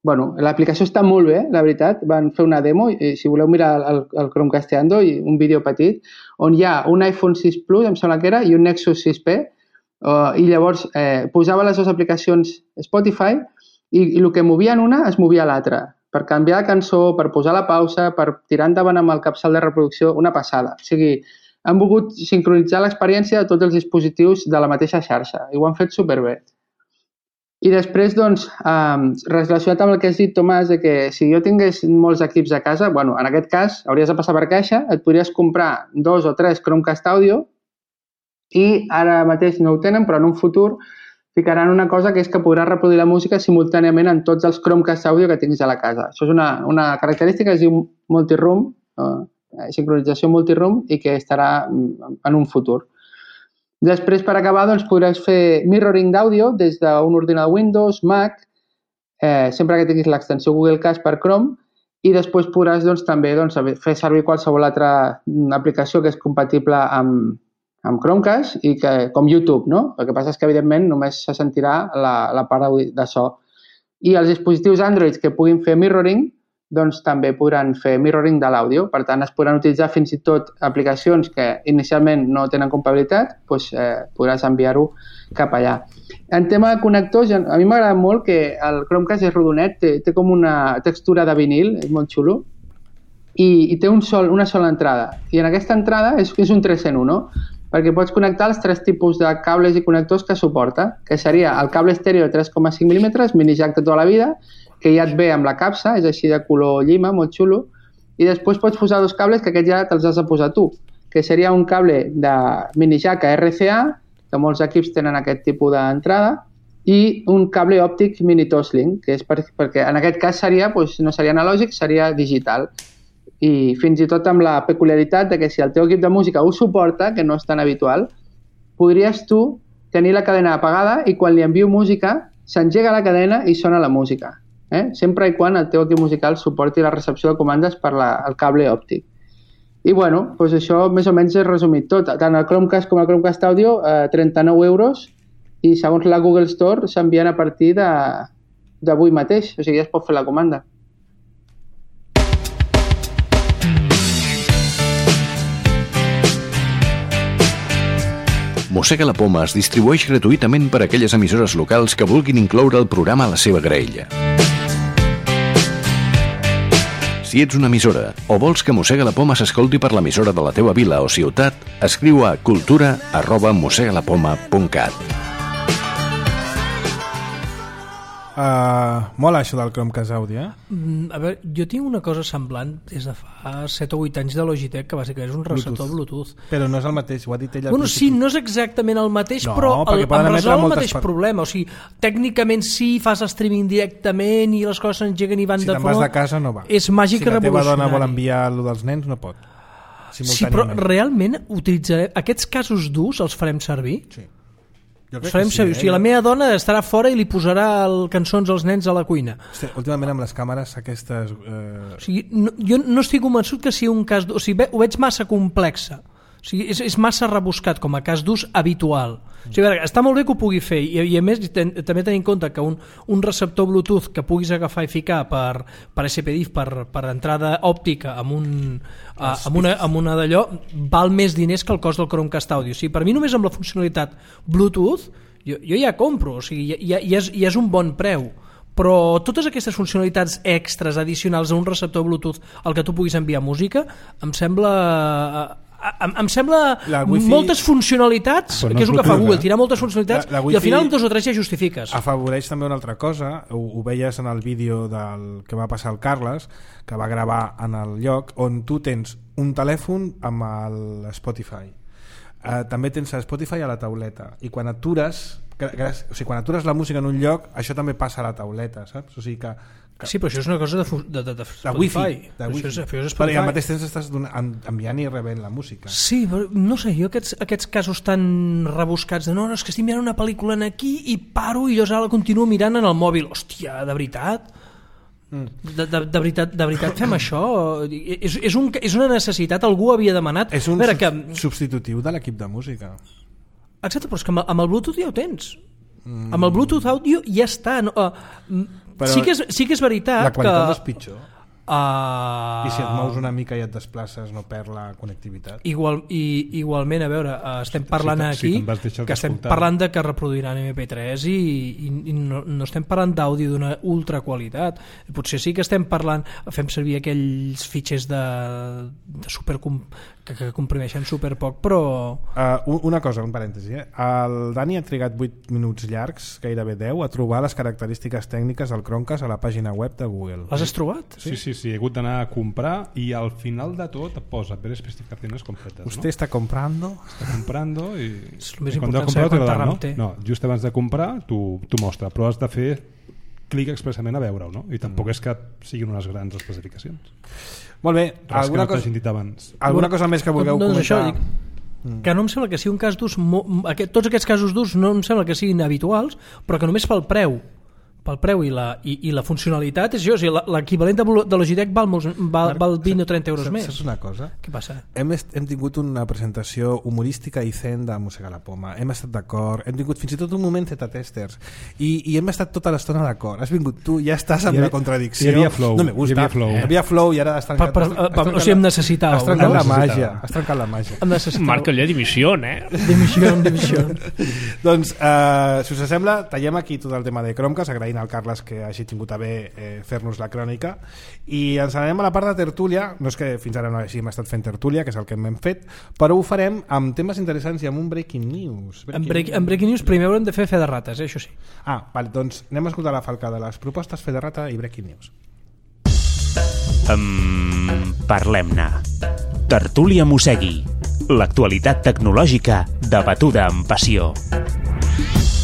bueno, l'aplicació està molt bé, la veritat. Van fer una demo, i si voleu mirar el, el Chromecasteando, i un vídeo petit, on hi ha un iPhone sis Plus, em sembla que era, i un Nexus sis P, uh, i llavors eh, posava les dues aplicacions Spotify i, i el que movia en una es movia a l'altra. Per canviar de cançó, per posar la pausa, per tirar endavant amb el capçal de reproducció, una passada. O sigui, han volgut sincronitzar l'experiència de tots els dispositius de la mateixa xarxa i ho han fet superbé. I després, doncs, eh, relacionat amb el que has dit, Tomàs, de que si jo tingués molts equips a casa, bueno, en aquest cas, hauries de passar per caixa, et podries comprar dos o tres Chromecast Audio i ara mateix no ho tenen, però en un futur ficaran una cosa que és que podràs reproduir la música simultàniament en tots els Chromecast Audio que tinguis a la casa. Això és una, una característica que es diu multiroom, eh, sincronització multiroom, i que estarà en un futur. Després, per acabar, doncs, podràs fer mirroring d'àudio des d'un ordinador Windows, Mac, eh, sempre que tinguis l'extensió Google Cast per Chrome, i després podràs doncs, també doncs, fer servir qualsevol altra aplicació que és compatible amb, amb Chromecast, i que, com YouTube, no? El que passa és que, evidentment, només se sentirà la, la part de so. I els dispositius Android que puguin fer mirroring, doncs també podran fer mirroring de l'àudio. Per tant, es podran utilitzar fins i tot aplicacions que inicialment no tenen compatibilitat, doncs eh, podràs enviar-ho cap allà. En tema de connectors, a mi m'agrada molt que el Chromecast és rodonet, té, té com una textura de vinil, és molt xulo, i, i té un sol, una sola entrada. I en aquesta entrada és, és un tres en un, no? Perquè pots connectar els tres tipus de cables i connectors que suporta, que seria el cable estèreo de tres coma cinc mil·límetres, mini jack de tota la vida, que ja et ve amb la capsa, és així de color llima, molt xulo, i després pots posar dos cables que aquests ja te'ls has de posar tu, que seria un cable de mini jack a R C A que molts equips tenen aquest tipus d'entrada, i un cable òptic mini Toslink, que és per, perquè en aquest cas seria, doncs, no seria analògic, seria digital. I fins i tot amb la peculiaritat de que si el teu equip de música ho suporta, que no és tan habitual, podries tu tenir la cadena apagada i quan li envio música s'engega la cadena i sona la música. Eh? Sempre i quan el teu equip musical suporti la recepció de comandes per la, el cable òptic. I bueno, doncs això més o menys és resumit tot. Tant el Chromecast com el Chromecast Audio, eh, trenta-nou euros, i segons la Google Store s'envien a partir d'avui mateix, o sigui, ja es pot fer la comanda. Mossega la Poma es distribueix gratuïtament per a aquelles emissores locals que vulguin incloure el programa a la seva graella. Si ets una emissora o vols que Mossega la Poma s'escolti per l'emissora de la teua vila o ciutat, escriu a cultura arroba mossegalapoma punt cat. Uh, mola això del Chromecast Audio, eh? Mm, a veure, jo tinc una cosa semblant des de fa set o vuit anys de Logitech, que bàsicament és un receptor Bluetooth. Però no és el mateix, ho ha dit ell al Bueno, principi. sí, no és exactament el mateix, No, però perquè el, poden em emetre resol el moltes mateix per- problema. O sigui, tècnicament sí, fas streaming directament i les coses s'engeguen i van Si de te'n vas front. de casa no va. És màgic si la teva revolucionari. dona vol enviar allò dels nens, no pot. Sí, però Simultàniament. realment utilitzarem aquests casos durs, els farem servir? Sí. Jo Els crec farem que sí, servir. eh? O sigui, la meva dona estarà fora i li posarà el, cançons als nens a la cuina. Hosti, últimament amb les càmeres aquestes... Eh... O sigui, no, jo no estic convençut que sigui un cas d'ús. O sigui, ve- ho veig massa complexa. O sigui, és, és massa rebuscat com a cas d'ús habitual. O sigui, a veure, està molt bé que ho pugui fer i, i a més ten, també tenir en compte que un, un receptor Bluetooth que puguis agafar i ficar per, per S P D I F, per, per entrada òptica amb, un, uh, amb, una, amb una d'allò, val més diners que el cost del Chromecast Audio. O sigui, per mi només amb la funcionalitat Bluetooth jo, jo ja compro, o sigui, ja, ja, és, ja és un bon preu, però totes aquestes funcionalitats extres addicionals a un receptor Bluetooth al que tu puguis enviar música em sembla... Em, em sembla La wifi- moltes funcionalitats, Però no que és és el que fa Bluetooth, Google, eh? tirar moltes funcionalitats La- la i al wifi- final amb dos o tres ja justifiques. Afavoreix també una altra cosa, ho, ho veies en el vídeo del que va passar al Carles, que va gravar en el lloc on tu tens un telèfon amb el Spotify. Uh, també tens el Spotify a la tauleta i quan atures, gràcies, o sigui, quan atures la música en un lloc, això també passa a la tauleta, saps? O sigui que, que Sí, però això és una cosa de, fu- de, de, de de Spotify. wifi, de Això wifi. és, això és Però, i al Spotify. mateix temps estàs donant, en- enviant i rebent la música. Sí, però no sé, jo aquests, aquests casos tan rebuscats de no, no, és que estic mirant una pel·lícula en aquí i paro i llavors ara la continuo mirant en el mòbil. Hòstia, de veritat? Mm. De, de, de, veritat, de veritat fem això? És, és, un, és una necessitat, algú havia demanat. És un a veure, que, sub- substitutiu de l'equip de música. exacte, però és que amb, amb el Bluetooth ja ho tens. Mm. Amb el Bluetooth Audio ja està. No, uh, Però sí, que és, sí que és veritat La qualitat que... és pitjor. Uh, I si et mous una mica i et desplaces no perd la connectivitat. Igual, i, igualment, a veure, eh, estem parlant si aquí te'n vas deixar que estem d'escoltar. parlant de que reproduiran M P tres i, i, i no, no estem parlant d'àudio d'una ultra qualitat. Potser sí que estem parlant, fem servir aquells fitxers de, de super que, que comprimeixen super poc, però Uh, una cosa, un parèntesi, eh? El Dani ha trigat vuit minuts llargs, gairebé deu, a trobar les característiques tècniques del Chromecast a la pàgina web de Google. les has trobat? Sí, sí, sí, he hagut d'anar a comprar i al final de tot et posa ver especificaciones completas, Usted ¿no? está comprando... Está comprando i... És el més i quan important has saber comprat te quanta lo dan, RAM no? té. No, just abans de comprar t'ho t'ho mostra, però has de fer clic expressament a veure-ho, no? I tampoc Mm. és que siguin unes grans especificacions. Molt bé, Res que alguna, no cosa, t'hagin dit abans. alguna cosa més que vulgueu doncs això, comentar? dic, que no em sembla que sigui un cas d'ús mo- aquest, tots aquests casos d'ús no em sembla que siguin habituals, però que només pel preu pel preu i la, i, i la funcionalitat és això, o sigui, la- l'equivalent de, Blu- de Logitech val, molts, val, val vint o trenta euros saps, més. Saps una cosa? Què passa? Hem, est, hem tingut una presentació humorística i zen de Mossegar la Poma, hem estat d'acord, hem tingut fins i tot un moment Z-testers i, i hem estat tota l'estona d'acord. Has vingut tu, ja estàs amb Hi havia- la contradicció. hi havia flow, no me gusta. hi havia flow. Hi havia flow i ara has trencat, Per- per- has trencat o sigui, em la- necessitàveu, has trencat no? la màgia, Necessitàveu. has trencat la màgia. Em necessiteu. Marca allà dimissió, eh? Dimissió, dimissió. Doncs, eh, si us sembla, tallem aquí tot el tema de Chromecast, agraint al Carles que hagi tingut a bé eh, fer-nos la crònica, i ens anem a la part de tertúlia. No és que fins ara no hàgim estat fent tertúlia, que és el que hem fet, però ho farem amb temes interessants i amb un breaking news. En, break, en Breaking News primer haurem de fer fe de rates, eh? Això sí. Ah, vale, doncs anem a escoltar la falca de les propostes, fe de rata i breaking news. Um, Parlem-ne. Tertúlia Mossegui. L'actualitat tecnològica debatuda amb passió.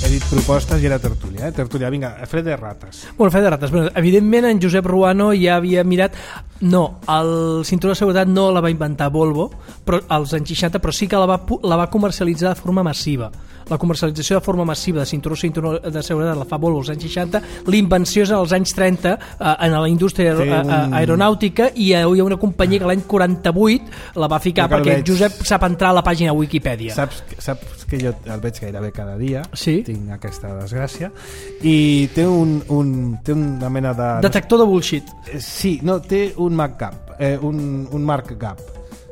He dit propostes i era tertúlia, eh? Tertúlia, vinga, fre de rates. Bueno, fre de rates. Bueno, evidentment, en Josep Ruano ja havia mirat... No, el cinturó de seguretat no la va inventar Volvo però, als anys seixanta, però sí que la va, la va comercialitzar de forma massiva. La comercialització de forma massiva de cinturó, cinturó de seguretat la fa Volvo als anys seixanta, l'invenció és als anys trenta eh, en la indústria un... aeronàutica, i hi ha una companyia que l'any quaranta-vuit la va ficar perquè veig... Josep sap entrar a la pàgina Wikipedia. Saps, saps que jo el veig gairebé cada dia, sí? Tinc aquesta desgràcia, i té, un, un, té una mena de... Detector de bullshit. Sí, no, té un markup, eh, un, un markup.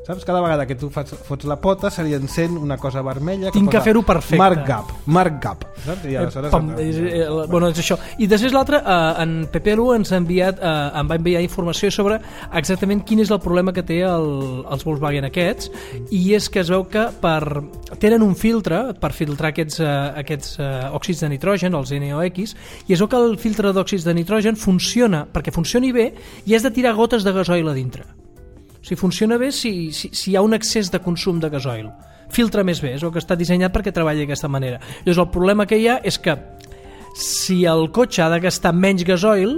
Saps? Cada vegada que tu fas, fots la pota se li encén una cosa vermella que tinc que fer-ho perfecte. Markup, markup. Saps? I aleshores... Pam, és, eh, bueno, és això. I després l'altre, eh, en Pepelu ens ha enviat, eh, em va enviar informació sobre exactament quin és el problema que té el, els Volkswagen aquests, i és que es veu que per, tenen un filtre per filtrar aquests, eh, aquests eh, òxids de nitrogen, els N O X, i es veu que el filtre d'òxids de nitrogen funciona, perquè funcioni bé, i has de tirar gotes de gasoil a dintre. O sigui, funciona bé si, si, si hi ha un excés de consum de gasoil. Filtra més bé, és el que està dissenyat perquè treballi d'aquesta manera. Llavors, el problema que hi ha és que si el cotxe ha de gastar menys gasoil,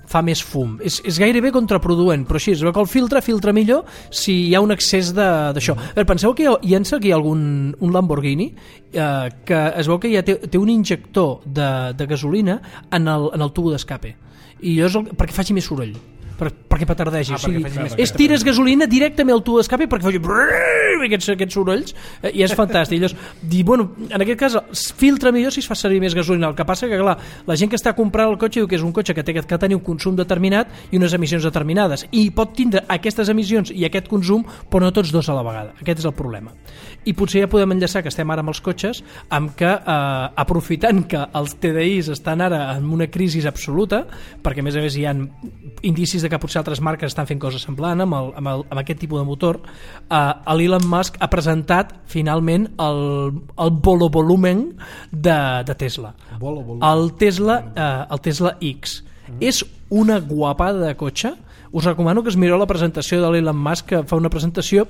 fa més fum. És, és gairebé contraproduent, però així, es veu que el filtre filtra millor si hi ha un excés d'això. Mm. Penseu que hi ha, hi ha aquí algun un Lamborghini eh, que es veu que ja té, té un injector de, de gasolina en el, en el tubo d'escape. I és el, perquè faci més soroll. Per, perquè petardegi, ah, o sigui, és tires gasolina directament al tubo d'escape perquè faci aquests, aquests sorolls, eh, i és fantàstic. Llavors, dir, bueno, en aquest cas filtra millor si es fa servir més gasolina. El que passa que, clar, la gent que està comprant el cotxe diu que és un cotxe que té que tenir un consum determinat i unes emissions determinades, i pot tindre aquestes emissions i aquest consum, però no tots dos a la vegada. Aquest és el problema. I potser ja podem enllaçar, que estem ara amb els cotxes, amb que, eh, aprofitant que els T D Is estan ara en una crisi absoluta, perquè a més a més hi ha indicis de que potser altres marques estan fent coses semblant amb, el, amb, el, amb aquest tipus de motor, eh, l'Elon Musk ha presentat finalment el, el Bolo Volumen de, de Tesla. Bolo, bolo. El Tesla, eh, el Tesla X. Mm. És una guapada de cotxe. Us recomano que es mireu la presentació de l'Elon Musk, que fa una presentació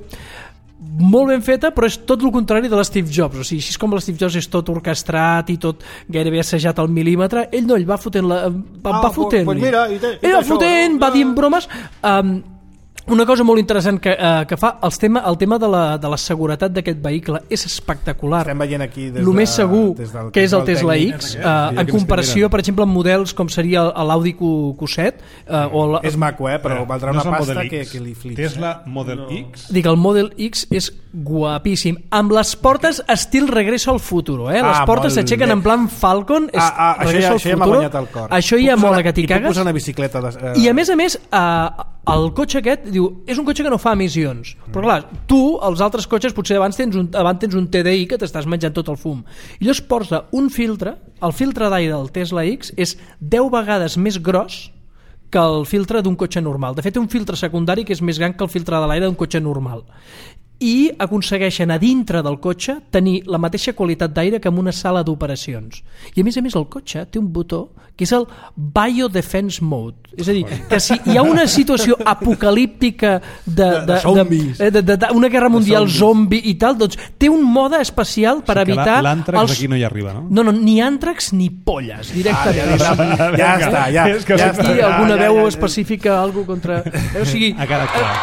molt ben feta, però és tot el contrari de l'Steve Jobs. O sigui, així com l'Steve Jobs és tot orquestrat i tot gairebé assajat al mil·límetre, ell no, ell va fotent la, va, ah, va fotent pues mira, i te, i ell va això, fotent, no? va dient bromes. um, una cosa molt interessant que, uh, que fa el tema, el tema de, la, de la seguretat d'aquest vehicle és espectacular. Estem veient aquí des el de, més segur des del, que és el Tesla tècnic, X, uh, en comparació per exemple amb models com seria l'Audi Q set, uh, o la, és maco, eh? però valdrà no una pasta que, que li flips. Tesla Model no. X. Dic, el Model X és guapíssim, amb les portes estil Regreso al Futuro, eh? Les ah, portes s'aixequen en plan Falcon, és ah, ah, Regreso ja, al això Futuro. Ja m'ha guanyat el cor. Això ja mola que t'hi cagues. I puc posar una bicicleta de, uh... I a més a més uh, el cotxe aquest diu, és un cotxe que no fa emissions, mm. però clar, tu, els altres cotxes, potser abans tens un, abans tens un T D I que t'estàs menjant tot el fum, i llavors porta un filtre, el filtre d'aire del Tesla X és deu vegades més gros que el filtre d'un cotxe normal. De fet, té un filtre secundari que és més gran que el filtre de l'aire d'un cotxe normal, i aconsegueixen a dintre del cotxe tenir la mateixa qualitat d'aire que en una sala d'operacions. I a més a més el cotxe té un botó que és el Biodefense Mode, és a dir, que si hi ha una situació apocalíptica de, de, de, zombis. de, de, de, de una guerra mundial zombi i tal, doncs té un mode especial per o sigui evitar l'àntrax els... aquí no hi arriba, no? No, no, ni àntrax ni polles directament. Ah, ja, ja, ja està, ja, és que ja aquí està, alguna ja, veu ja, ja, específica, algo contra... O sigui, a cara clar.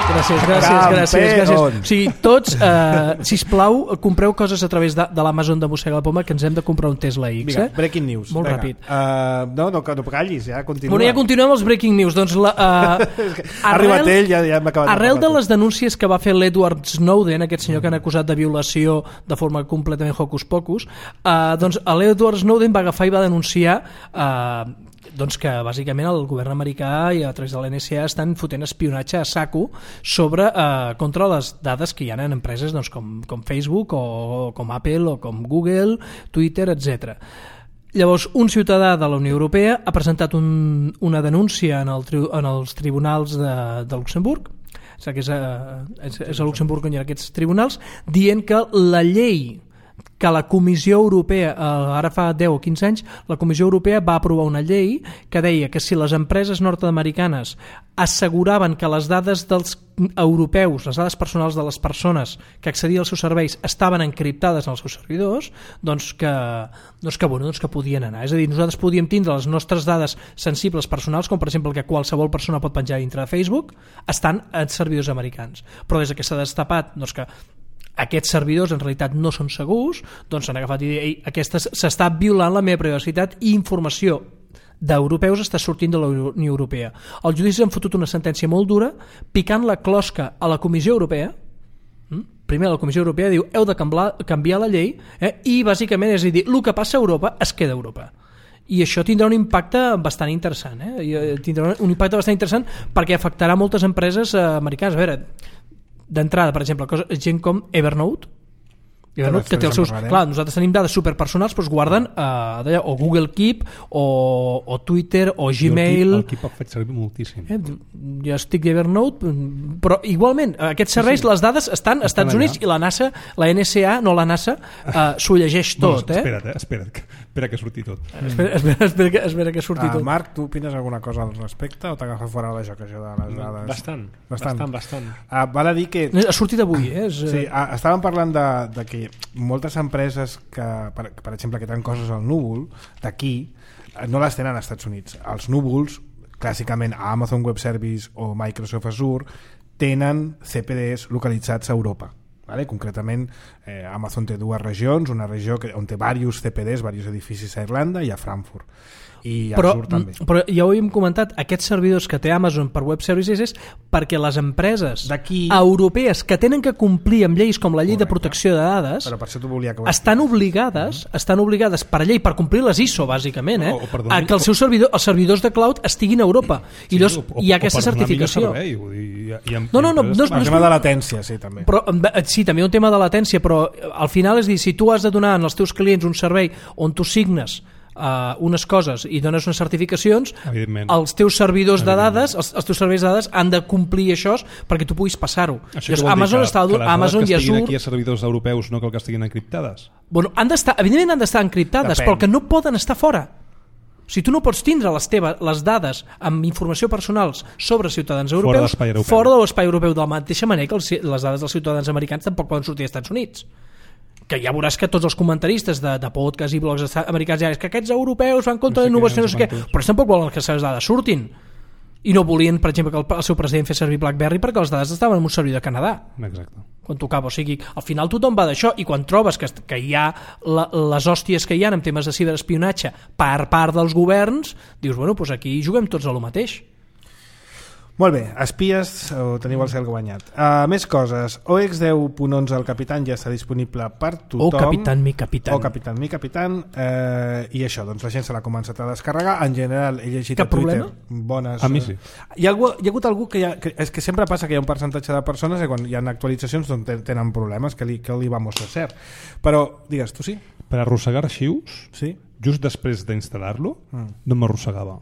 Gràcies, gràcies, gràcies, gràcies. O sigui, tots, eh, sisplau, compreu coses a través de, de l'Amazon de Mossega la Poma, que ens hem de comprar un Tesla X. Vinga, eh? breaking news. Molt Vinga. ràpid. Uh, no, no, no callis, ja continua. Bueno, ja continuem els breaking news. Doncs la, uh, ha arribat ell, ja, ja hem acabat. Arrel de les denúncies que va fer l'Edward Snowden, aquest senyor que han acusat de violació de forma completament hocus pocus, uh, doncs l'Edward Snowden va agafar i va denunciar uh, doncs que bàsicament el govern americà i a través de l'N S A estan fotent espionatge a saco sobre, eh, contra les dades que hi ha en empreses doncs, com, com Facebook o com Apple o com Google, Twitter, etcètera. Llavors, un ciutadà de la Unió Europea ha presentat un, una denúncia en, el, en els tribunals de, de Luxemburg, que és a, és a Luxemburg on hi ha aquests tribunals, dient que la llei que la Comissió Europea, ara fa deu o quinze anys, la Comissió Europea va aprovar una llei que deia que si les empreses nord-americanes asseguraven que les dades dels europeus, les dades personals de les persones que accedien als seus serveis estaven encriptades en els seus servidors, doncs que, doncs que, bueno, doncs que podien anar. És a dir, nosaltres podíem tindre les nostres dades sensibles personals, com per exemple el que qualsevol persona pot penjar dintre de Facebook, estan en servidors americans. Però des que s'ha destapat doncs que aquests servidors en realitat no són segurs, doncs s'han agafat i dit, aquestes s'està violant la meva privacitat i informació d'europeus està sortint de la Unió Europea. Els judicis han fotut una sentència molt dura picant la closca a la Comissió Europea. Primer la Comissió Europea diu heu de canviar, canviar la llei eh? I bàsicament és a dir, el que passa a Europa es queda a Europa. I això tindrà un impacte bastant interessant, eh? Tindrà un impacte bastant interessant perquè afectarà moltes empreses eh, americanes. A veure, d'entrada, per exemple, cosa, gent com Evernote, Evernote que té els seus... Clar, nosaltres tenim dades superpersonals, però es guarden a, a, o Google Keep o, o Twitter o Gmail. El Keep el faig servir moltíssim. Eh, jo estic d'Evernote, però igualment, aquests serveis, sí, sí. Les dades estan als Estats Units i la NASA, la N S A, no la NASA, uh, s'ho llegeix tot. No, espera't, eh? espera't, espera que surti tot. Espera, espera, espera, que, espera que surti uh, tot. Marc, tu opines alguna cosa al respecte o t'agafa fora la joc, això de les dades? Bastant, bastant, bastant. bastant. Uh, val a dir que... Ha sortit avui, eh? És, sí, uh, estàvem parlant de, de que moltes empreses que, per, per exemple, que tenen coses al núvol d'aquí, no les tenen als Estats Units. Els núvols, clàssicament a Amazon Web Service o Microsoft Azure, tenen C P Ds localitzats a Europa. Vale? Concretament, eh, Amazon té dues regions, una regió que, on té diversos C P Ds, diversos edificis a Irlanda i a Frankfurt. I però, Azure també. Però ja ho havíem comentat, aquests servidors que té Amazon per Web Services és perquè les empreses europees que tenen que complir amb lleis com la llei Correcte. De protecció de dades però per això volia que estan obligades mm. estan obligades per llei, per complir les I S O bàsicament, eh, o, o a que els seus servidors, els servidors de cloud estiguin a Europa i sí, llavors o, o, hi ha aquesta certificació. Servei, hi ha, hi ha no, no, no, no, no, el tema de latència, sí, també. Però, sí, també un tema de latència, però al final és dir, si tu has de donar als teus clients un servei on tu signes Uh, unes coses i dones unes certificacions, els teus servidors de dades, els, els teus serveis de dades han de complir això perquè tu puguis passar-ho. Amazon que, està que les Amazon dades que estiguin aquí a servidors europeus no cal que estiguin encriptades? Bueno, han d'estar, evidentment han d'estar encriptades, Depèn. Però que no poden estar fora. Si tu no pots tindre les teves les dades amb informació personals sobre ciutadans europeus fora, europeu. fora de l'espai europeu, de la mateixa manera que els, les dades dels ciutadans americans tampoc poden sortir als Estats Units. Que ja veuràs que tots els comentaristes de, de podcast i blogs americans ja és que aquests europeus van contra no sé la innovació, no sé què, però tampoc volen que les seves dades surtin. I no volien, per exemple, que el, el seu president fes servir BlackBerry perquè les dades estaven en un servidor de Canadà. Exacte. Quan tocava, o sigui, al final tothom va d'això i quan trobes que, que hi ha la, les hòsties que hi ha en temes de ciberespionatge per part dels governs, dius, bueno, doncs aquí juguem tots a lo mateix. Molt bé, espies, ho teniu el cel guanyat. Uh, més coses. O X deu punt onze el Capitán ja està disponible per tothom. O Capitán mi Capitán. O Capitán mi Capitán. Uh, I això, doncs la gent se l'ha començat a descarregar. En general, he llegit Cap a Twitter problema? bones... A mi sí. Hi ha, algú, hi ha hagut algú que, hi ha, que... És que sempre passa que hi ha un percentatge de persones i quan hi ha actualitzacions doncs tenen problemes, que li, que li va mostrar cert. Però, digues, tu sí? Per arrossegar arxius, sí? just després d'instal·lar-lo, mm. no m'arrossegava.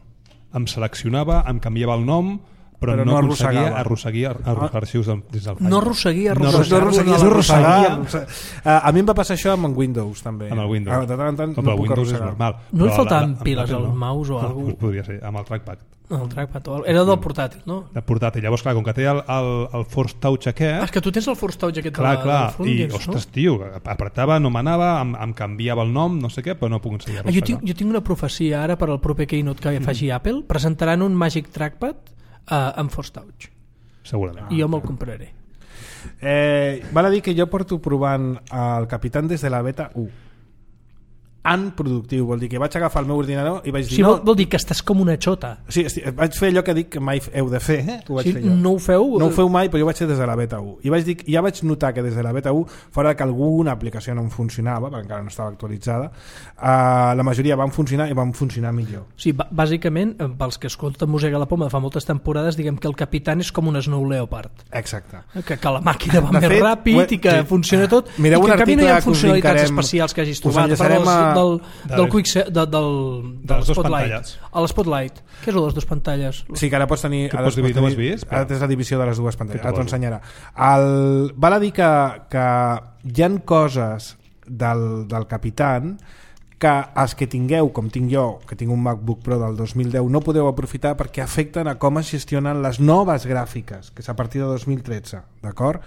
Em seleccionava, em canviava el nom... Però, però no, no aconseguia arrosseguir arxius des del file. No arrosseguia no arrosseguia, no arrosseguia. Uh, a mi em va passar això amb en Windows també. Amb el Windows. Ah, de tant en tant no, no puc Windows arrossegar. És normal. No li faltaven la, la, piles al no. mouse o no, alguna cosa? Podria ser, amb el trackpad. No, el trackpad. Era del portàtil, no? De portàtil. Llavors, clar, com que té el, el, el Force Touch aquest... Ah, és que tu tens el Force Touch aquest clar, de, clar, del front, i, dins, ostres, no? tio, apretava, no m'anava, em, em canviava el nom, no sé què, però no puc ensenyar ah, jo, tinc, jo tinc una profecia ara per al proper Keynote que faci mm. Apple. Presentaran un Magic Trackpad uh, amb Force Touch. Segurament. I jo me'l compraré. Eh, val a dir que jo porto provant el Capitán des de la beta u. En productiu, vol dir que vaig agafar el meu ordinador i vaig dir... Sí, no, vol, vol dir que estàs com una xota. Sí, vaig fer allò que dic que mai heu de fer, eh? Ho vaig sí, fer jo. No ho feu? No ho feu mai, però jo vaig fer des de la beta u. I vaig dir, ja vaig notar que des de la beta u, fora que alguna aplicació no em funcionava, perquè encara no estava actualitzada, uh, la majoria van funcionar i van funcionar millor. Sí, bàsicament, pels que escolten Mossega la Poma de fa moltes temporades, diguem que el Capitán és com un Snow Leopard. Exacte. Que, que la màquina va de més fet, ràpid he, i que sí. funciona tot. Mireu i que un en canvi no hi ha article funcionalitats especials que hagis trobat. Del, del, del Quick de, del, de, del les dues Spotlight. pantalles. A l'Spotlight. Què és el de les dues pantalles? Sí, que ara pots tenir... Que pots dividir, no ho has vist? Ara tens la divisió de les dues pantalles. Ara t'ho ensenyarà. El, val a dir que, que hi ha coses del, del Capitán, que els que tingueu, com tinc jo, que tinc un MacBook Pro del dos mil deu, no podeu aprofitar perquè afecten a com es gestionen les noves gràfiques, que és a partir de dos mil tretze, d'acord?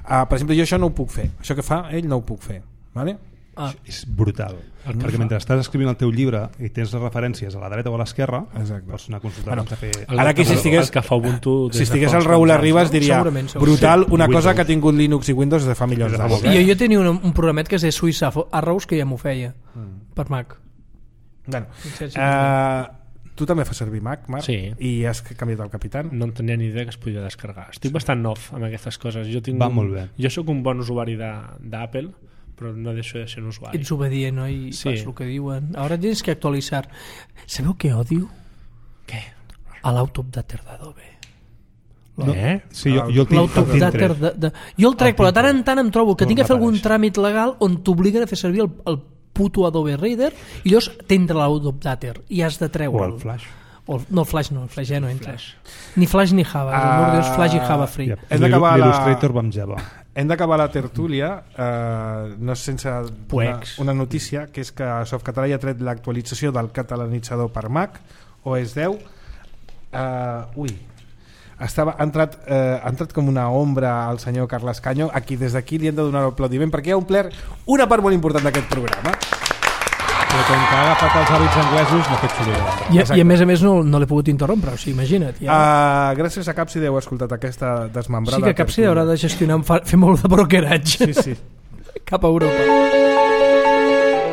Uh, per exemple, jo això no ho puc fer. Això que fa ell no ho puc fer, vale? Ah. És brutal, el perquè mentre estàs escrivint el teu llibre i tens les referències a la dreta o a l'esquerra, pots anar a consultar bueno, a fer... Ara que si estigués, que fa Ubuntu si estigués el Raül Arribas diria segurament, segurament. brutal, una sí, cosa que ha tingut Linux i Windows de fa milions d'anys. Jo, jo tenia un, un programet que es deia Swiss Arrows que ja m'ho feia mm. per Mac. Bueno, uh, tu també fas servir Mac, Marc? Sí. I has canviat el Capitán? No en tenia ni idea que es podia descarregar. Estic bastant off amb aquestes coses. Jo tinc Va un, molt bé. Jo sóc un bon usuari d'Apple, però no deixo de ser un usuari. Ets obedient, no? I sí. fas el que diuen. Ahora tienes que actualizar. ¿Sabeu què odio? Què? A l'Autopdater d'Adobe. No? Eh? Sí, jo, jo el tinc, el tinc de, de, jo el trec, el però de tant en tant em trobo que no tinc que fer algun tràmit legal on t'obliguen a fer servir el, el puto Adobe Reader i llavors t'entra l'Autopdater i has de treure o el Flash. O el, no, el Flash no, el Flash ja no entra. Ni Flash ni Java, uh, amor de Déu, Flash i Java free. Yeah. Hem d'acabar l'Illustrator la... amb Java. Hem d'acabar la tertúlia, uh, no sense una, una notícia, que és que Softcatalà ja ha tret l'actualització del catalanitzador per Mac, O S deu. Uh, ui, estava, ha, entrat, uh, ha entrat com una ombra al senyor Carles Canyo, a qui des d'aquí li hem de donar l'aplaudiment, perquè ha omplert una part molt important d'aquest programa. Però com que ha agafat els hàbits anglesos no ha fet soroll. I, I a més a més no, no l'he pogut interrompre, o sigui, imagina't. Ja. Uh, gràcies a Capside heu escoltat aquesta desmembrada. Sí que Capside haurà de gestionar, fer molt de brokeratge. Sí, sí. Cap a Europa.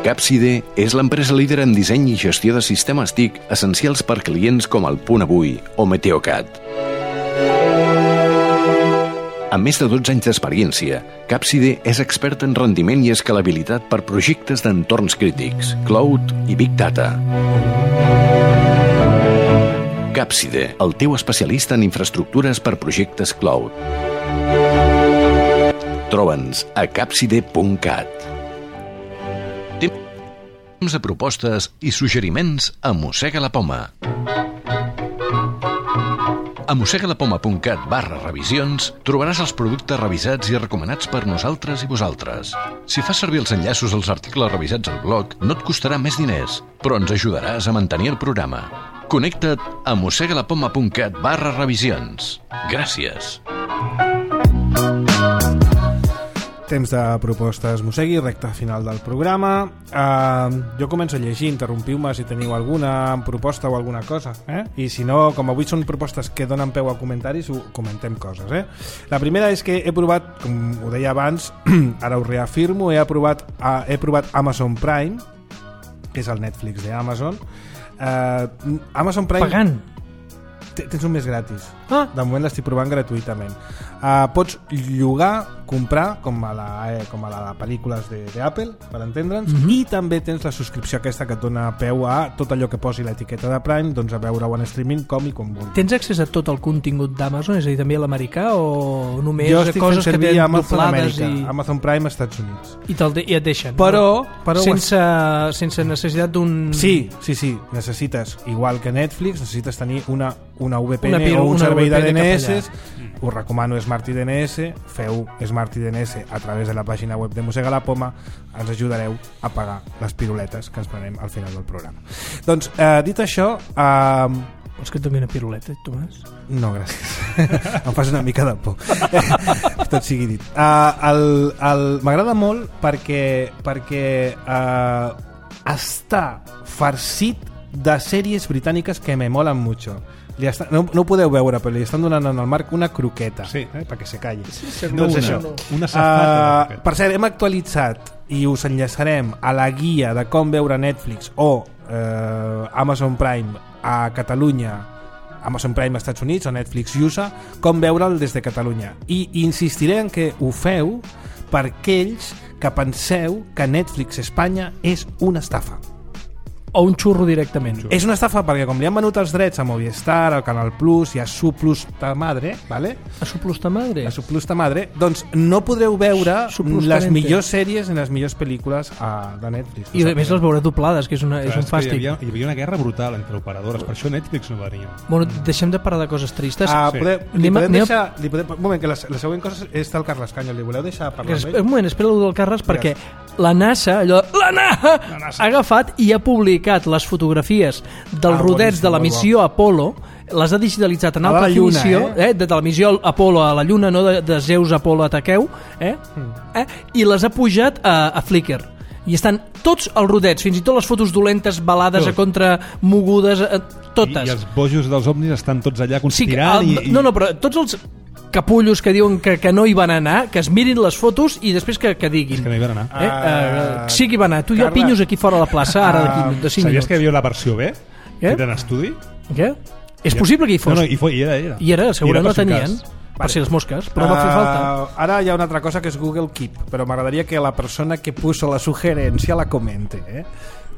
Capside és l'empresa líder en disseny i gestió de sistemes T I C essencials per clients com el Punt Avui o Meteocat. Amb més de dotze anys d'experiència, Capside és expert en rendiment i escalabilitat per projectes d'entorns crítics, cloud i big data. Capside, el teu especialista en infraestructures per projectes cloud. Troba'ns a capside punt cat. Temps de propostes i suggeriments a Mossega la Poma. A mossegalapoma punt cat barra revisions trobaràs els productes revisats i recomanats per nosaltres i vosaltres. Si fas servir els enllaços als articles revisats al blog, no et costarà més diners, però ens ajudaràs a mantenir el programa. Connecta't a mossegalapoma punt cat barra revisions. Gràcies. Temps de propostes Mossegui, recta final del programa. Uh, jo començo a llegir, interrompiu-me si teniu alguna proposta o alguna cosa. Eh? I si no, com avui són propostes que donen peu a comentaris, ho comentem coses. Eh? La primera és que he provat, com ho deia abans, ara ho reafirmo, he, aprovat, uh, he provat Amazon Prime, que és el Netflix d'Amazon. Uh, Amazon Prime... Pagant? Tens un mes gratis. Ah. De moment l'estic provant gratuïtament. Uh, pots llogar, comprar, com a la, eh, com a la, la pel·lícules d'Apple, per entendre'ns, mm-hmm. i també tens la subscripció aquesta que et dona peu a tot allò que posi l'etiqueta de Prime, doncs a veure-ho en streaming com i com vulguis. Tens accés a tot el contingut d'Amazon, és a dir, també a l'americà, o només jo estic coses fent servir que Amazon Amèrica, i... Amazon Prime Estats Units. I, de, i et deixen. Però... no? però sense, has... sense necessitat d'un... Sí, sí, sí, necessites, igual que Netflix, necessites tenir una, una V P N una, o un servei de D N S. Mm. Us recomano Smart I D N S, feu Smart I D N S a través de la pàgina web de Mossega la Poma, ens ajudareu a pagar les piruletes que ens prenem al final del programa. Doncs, eh, dit això... Eh, vols que et doni una piruleta, Tomàs? No, gràcies. Em fas una mica de por. Tot sigui dit. Uh, el, el, m'agrada molt perquè, perquè uh, està farcit de sèries britàniques que me molen mucho. Li està, no, no ho podeu veure, però li estan donant en el Marc una croqueta, sí, eh, perquè se calli. Sí, sí, doncs una, això. Una safata. Uh, per cert, hem actualitzat i us enllaçarem a la guia de com veure Netflix o uh, Amazon Prime a Catalunya, Amazon Prime als Estats Units o Netflix U S A, com veure'l des de Catalunya. I insistiré en que ho feu per aquells que penseu que Netflix Espanya és una estafa. o un xurro directament. És una estafa perquè com li han venut els drets a Movistar, al Canal Plus i a Su Plus ta Madre, ¿vale? A Su Plus ta Madre? A Su Plus ta Madre, doncs no podreu veure les millors sèries i les millors pel·lícules a, de Netflix. I a més les veureu doblades, que és, una, és un fàstic. Hi havia, hi havia una guerra brutal entre operadores, per això Netflix no venia. Bueno, deixem de parlar de coses tristes. Ah, sí. podem, li anem, podem anem deixar... Li podem, un moment, que la, la següent cosa és del Carles Canyo. Li voleu deixar parlar amb ell? Un moment, espera el del Carles, perquè la NASA, allò, la NASA, la NASA ha agafat i ha publicat les fotografies dels ah, rodets de la missió Apolo, les ha digitalitzat en alta definició, eh? Eh, de, de la missió Apolo a la Lluna, no de, de Zeus Apolo a Taqueu, eh? Mm. Eh? I les ha pujat a, a Flickr. I estan tots els rodets, fins i tot les fotos dolentes, balades, a contra mogudes, eh, totes. I, I els bojos dels ovnis estan tots allà conspirant. Sí, el, i, i... No, no, però tots els capullos que diuen que, que no hi van anar, que es mirin les fotos i després que, que diguin. És que no hi van anar. Eh? Uh, sí que hi van anar. Tu i jo pinyos aquí fora a la plaça, ara d'aquí de cinc minuts. Sabies que hi havia la versió B? Què? Feta en estudi? Què? És possible que hi fos. No, no, hi, fos, hi era, hi era. I era, segurament la tenien. Cas. Per si les mosques, però uh, va fer falta. Ara hi ha una altra cosa que és Google Keep, però m'agradaria que la persona que puso la sugerència la comente, eh?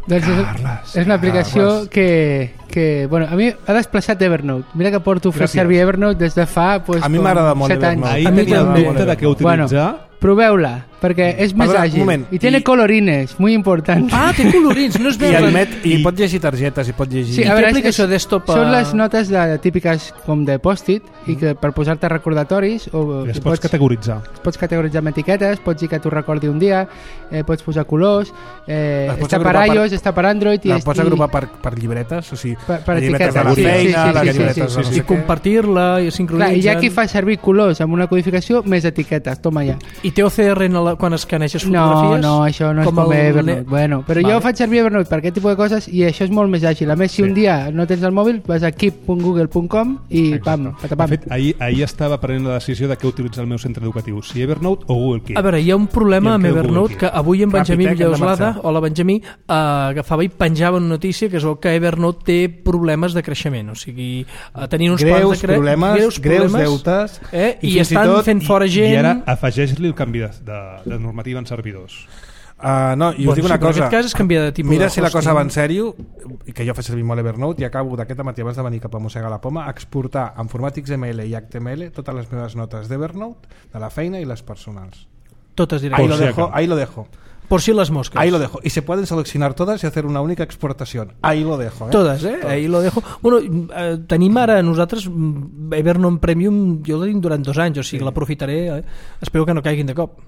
Doncs Carles, és una aplicació Carles. que, que bueno, a mi ha desplaçat Evernote. Mira que porto fent servir Evernote des de fa pues, a mi m'agrada molt Evernote. Ahir tenia el dubte de què utilitzar. Bueno, proveu-la, perquè és més Perdona, àgil. moment, I tiene i... colorines, muy important. Ah, té colorins, no es veu. I, admet, i, i pot llegir targetes, i pot llegir... Sí, a veure, és, és, desktop, són les notes de, típiques com de post-it, i que per posar-te recordatoris... O, I les pots, pots categoritzar. Pots categoritzar amb etiquetes, pots dir que t'ho recordi un dia, eh, pots posar colors, eh, està per iOS, per, està per Android... I la pots agrupar per, per llibretes, o sigui, per, per llibretes de la feina, sí, sí, sí, les sí, llibretes sí, sí, no sí, sé i compartir-la i sincronitzar... Clar, i hi ha qui fa servir colors amb una codificació més etiquetes, toma ja. I té O C R en la, quan escaneixes fotografies? No, no, això no és com, com Evernote. Bueno, però vale. Jo faig servir Evernote per aquest tipus de coses i això és molt més àgil. A més, si sí. un dia no tens el mòbil, vas a keep punt google punt com i pam, patapam. De fet, ahir, ahir estava prenent la decisió de què utilitzar el meu centre educatiu, si Evernote o Google Keep. A veure, hi ha un problema amb Evernote que avui en Benjamí Villauslada, hola Benjamí, uh, agafava i penjava una notícia que és que Evernote té problemes de creixement, o sigui, uh, tenien uns greus plans de cre... problemes, greus, greus problemes, deutes eh? i, i estan tot, fent fora gent... I ara afegeix-li el canvi de, de, de normativa en servidors. Uh, no, i us bueno, dic una sí, cosa, en aquest cas és canviar de tipus mira de si la cosa va en sèrio, que jo faig servir molt Evernote i acabo d'aquest matí abans de venir cap a Mossegar la Poma a exportar en format X M L i H T M L totes les meves notes d'Evernote, de la feina i les personals. Totes directes. Ahí lo dejo, ahí lo dejo. Por si las moscas. Ahí lo dejo. Y se pueden seleccionar todas y hacer una única exportación. Ahí lo dejo. ¿eh? Todas, eh? Todas. Ahí lo dejo. Bueno, eh, tenim ara nosaltres Evernote Premium, jo el tenim durant dos anys, o sigui, sí. l'aprofitaré. Eh? Espero que no caiguin de cop.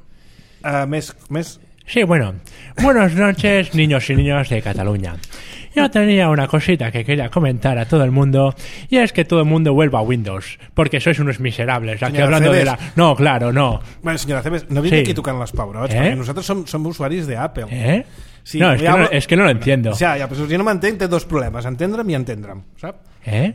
Uh, més, més... Sí, bueno. Buenas noches, niños y niñas de Cataluña. Yo tenía una cosita que quería comentar a todo el mundo, y es que todo el mundo vuelva a Windows, porque sois unos miserables. Aquí hablando Cebes. de la... No, claro, no. Bueno, señora Cebes, no viene sí. aquí tocant les pebrots, ¿Eh? Perquè nosaltres som, som usuaris d'Apple. ¿Eh? Sí, no, es que no, es que no lo entiendo. Ja, ja, però si no m'entenc, té dos problemes, entendre'm i entendre'm, sap? Eh?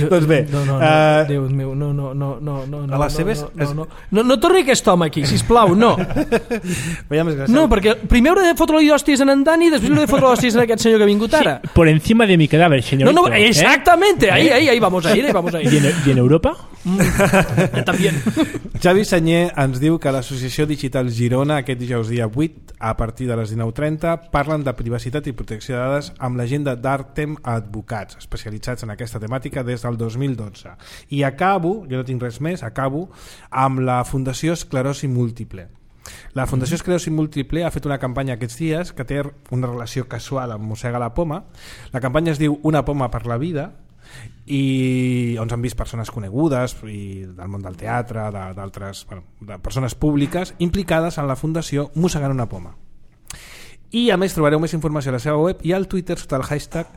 Doncs bé, no, no, no, uh, Déu meu, no, no, no, no, no, a les seves... no, no, no, no, no torni aquest home aquí, sisplau, no. No, perquè primer hauré de fotre-li hòsties en en Dani i després hauré de fotre hòsties en aquest senyor que ha vingut ara. Sí, por encima de mi cadáver, señorito. No, no, exactamente, ¿eh? ahí, ahí, ahí vamos a ir, ahí vamos a ir. ¿Y en, y en Europa? Mm, también. Xavi Senyer ens diu que l'Associació Digital Girona aquest dijous dia vuit a partir de les dinou trenta parlen de privacitat i protecció de dades amb l'agenda d'Artem Advocats, especialitzats en aquesta temàtica des del dos mil dotze. I acabo, jo no tinc res més, acabo amb la Fundació Esclerosi Múltiple. La Fundació Esclerosi Múltiple ha fet una campanya aquests dies que té una relació casual amb Mossega la Poma. La campanya es diu Una poma per la vida, i on han vist persones conegudes i del món del teatre, d'altres, bueno, de persones públiques implicades en la fundació Mossegant una poma. I a més trobareu més informació a la seva web i al Twitter sota el hashtag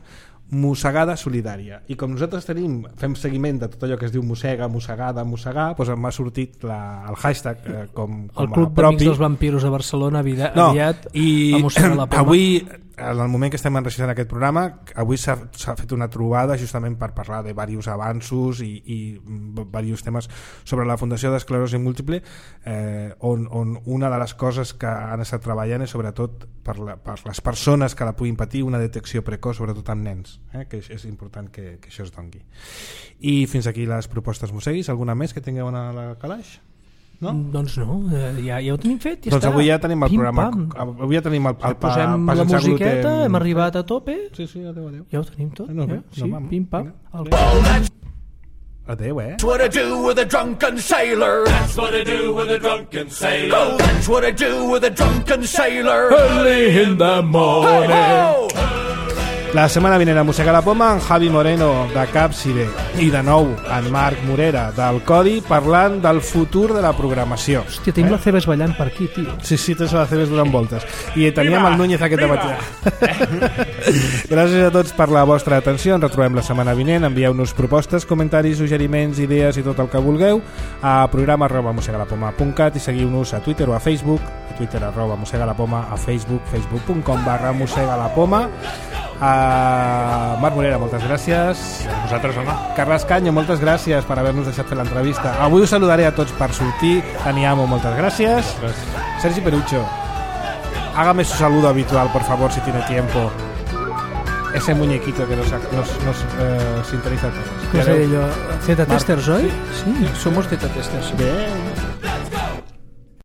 Mossegada Solidària. I com nosaltres tenim, fem seguiment de tot allò que es diu mossega, mossegada, mossegar, doncs m'ha sortit la, el hashtag eh, com, com el Club d'Amics dels Vampiros de Barcelona aviat, no, aviat i a Mossega la Poma. Avui, en el moment que estem enregistrant aquest programa, avui s'ha fet una trobada justament per parlar de diversos avanços i, i diversos temes sobre la Fundació d'Esclerosi Múltiple, eh, on, on una de les coses que han estat treballant és sobretot per, la, per les persones que la puguin patir, una detecció precoç, sobretot amb nens, eh, que és, és important que, que això es doni. I fins aquí les propostes Mosseguis. Alguna més que tingueu a la calaix? No? Doncs no, eh, ja, ja ho tenim fet, ja doncs està. avui ja tenim el Pim, programa. pam. Avui ja tenim el, el, Ja posem pa, la sense musiqueta, gluten. hem arribat a tope. Sí, sí, adéu, adéu. Ja ho tenim tot. No, ja? no, Sí, vam. pim, pam. Vinga. Adéu, eh? That's what I do with a drunken sailor. That's what I do with a drunken sailor. Oh, that's what I do with a drunken sailor. Early in the morning. Hey, La setmana vinent a Mossega la Poma, en Javi Moreno, de Capside, i de nou, en Marc Morera, del Codi, parlant del futur de la programació. Hòstia, tenim eh? la Cebes ballant per aquí, tio. Sí, sí, tens la Cebes donant voltes. I teníem viva, el Núñez aquest matí. Gràcies a tots per la vostra atenció. Ens retrobem la setmana vinent. Envieu-nos propostes, comentaris, suggeriments, idees i tot el que vulgueu a programa arroba mossegalapoma punt cat i seguiu-nos a Twitter o a Facebook, a Twitter arroba mossegalapoma, a Facebook, facebook punt com barra mossegalapoma. Uh, Marc Morera, moltes gràcies. A vosaltres, home. Carles Canyo, moltes gràcies per haver-nos deixat fer l'entrevista. Avui us saludaré a tots per sortir. Aniamo, moltes gràcies. Gràcies. Sergi Perucho, hágame su saludo habitual, por favor, si tiene tiempo. Ese muñequito que nos, nos, nos eh, sintoniza a todos. ¿Qué sé yo? Z-Testers, ¿hoy? Sí, sí, somos Z-Testers. Bien.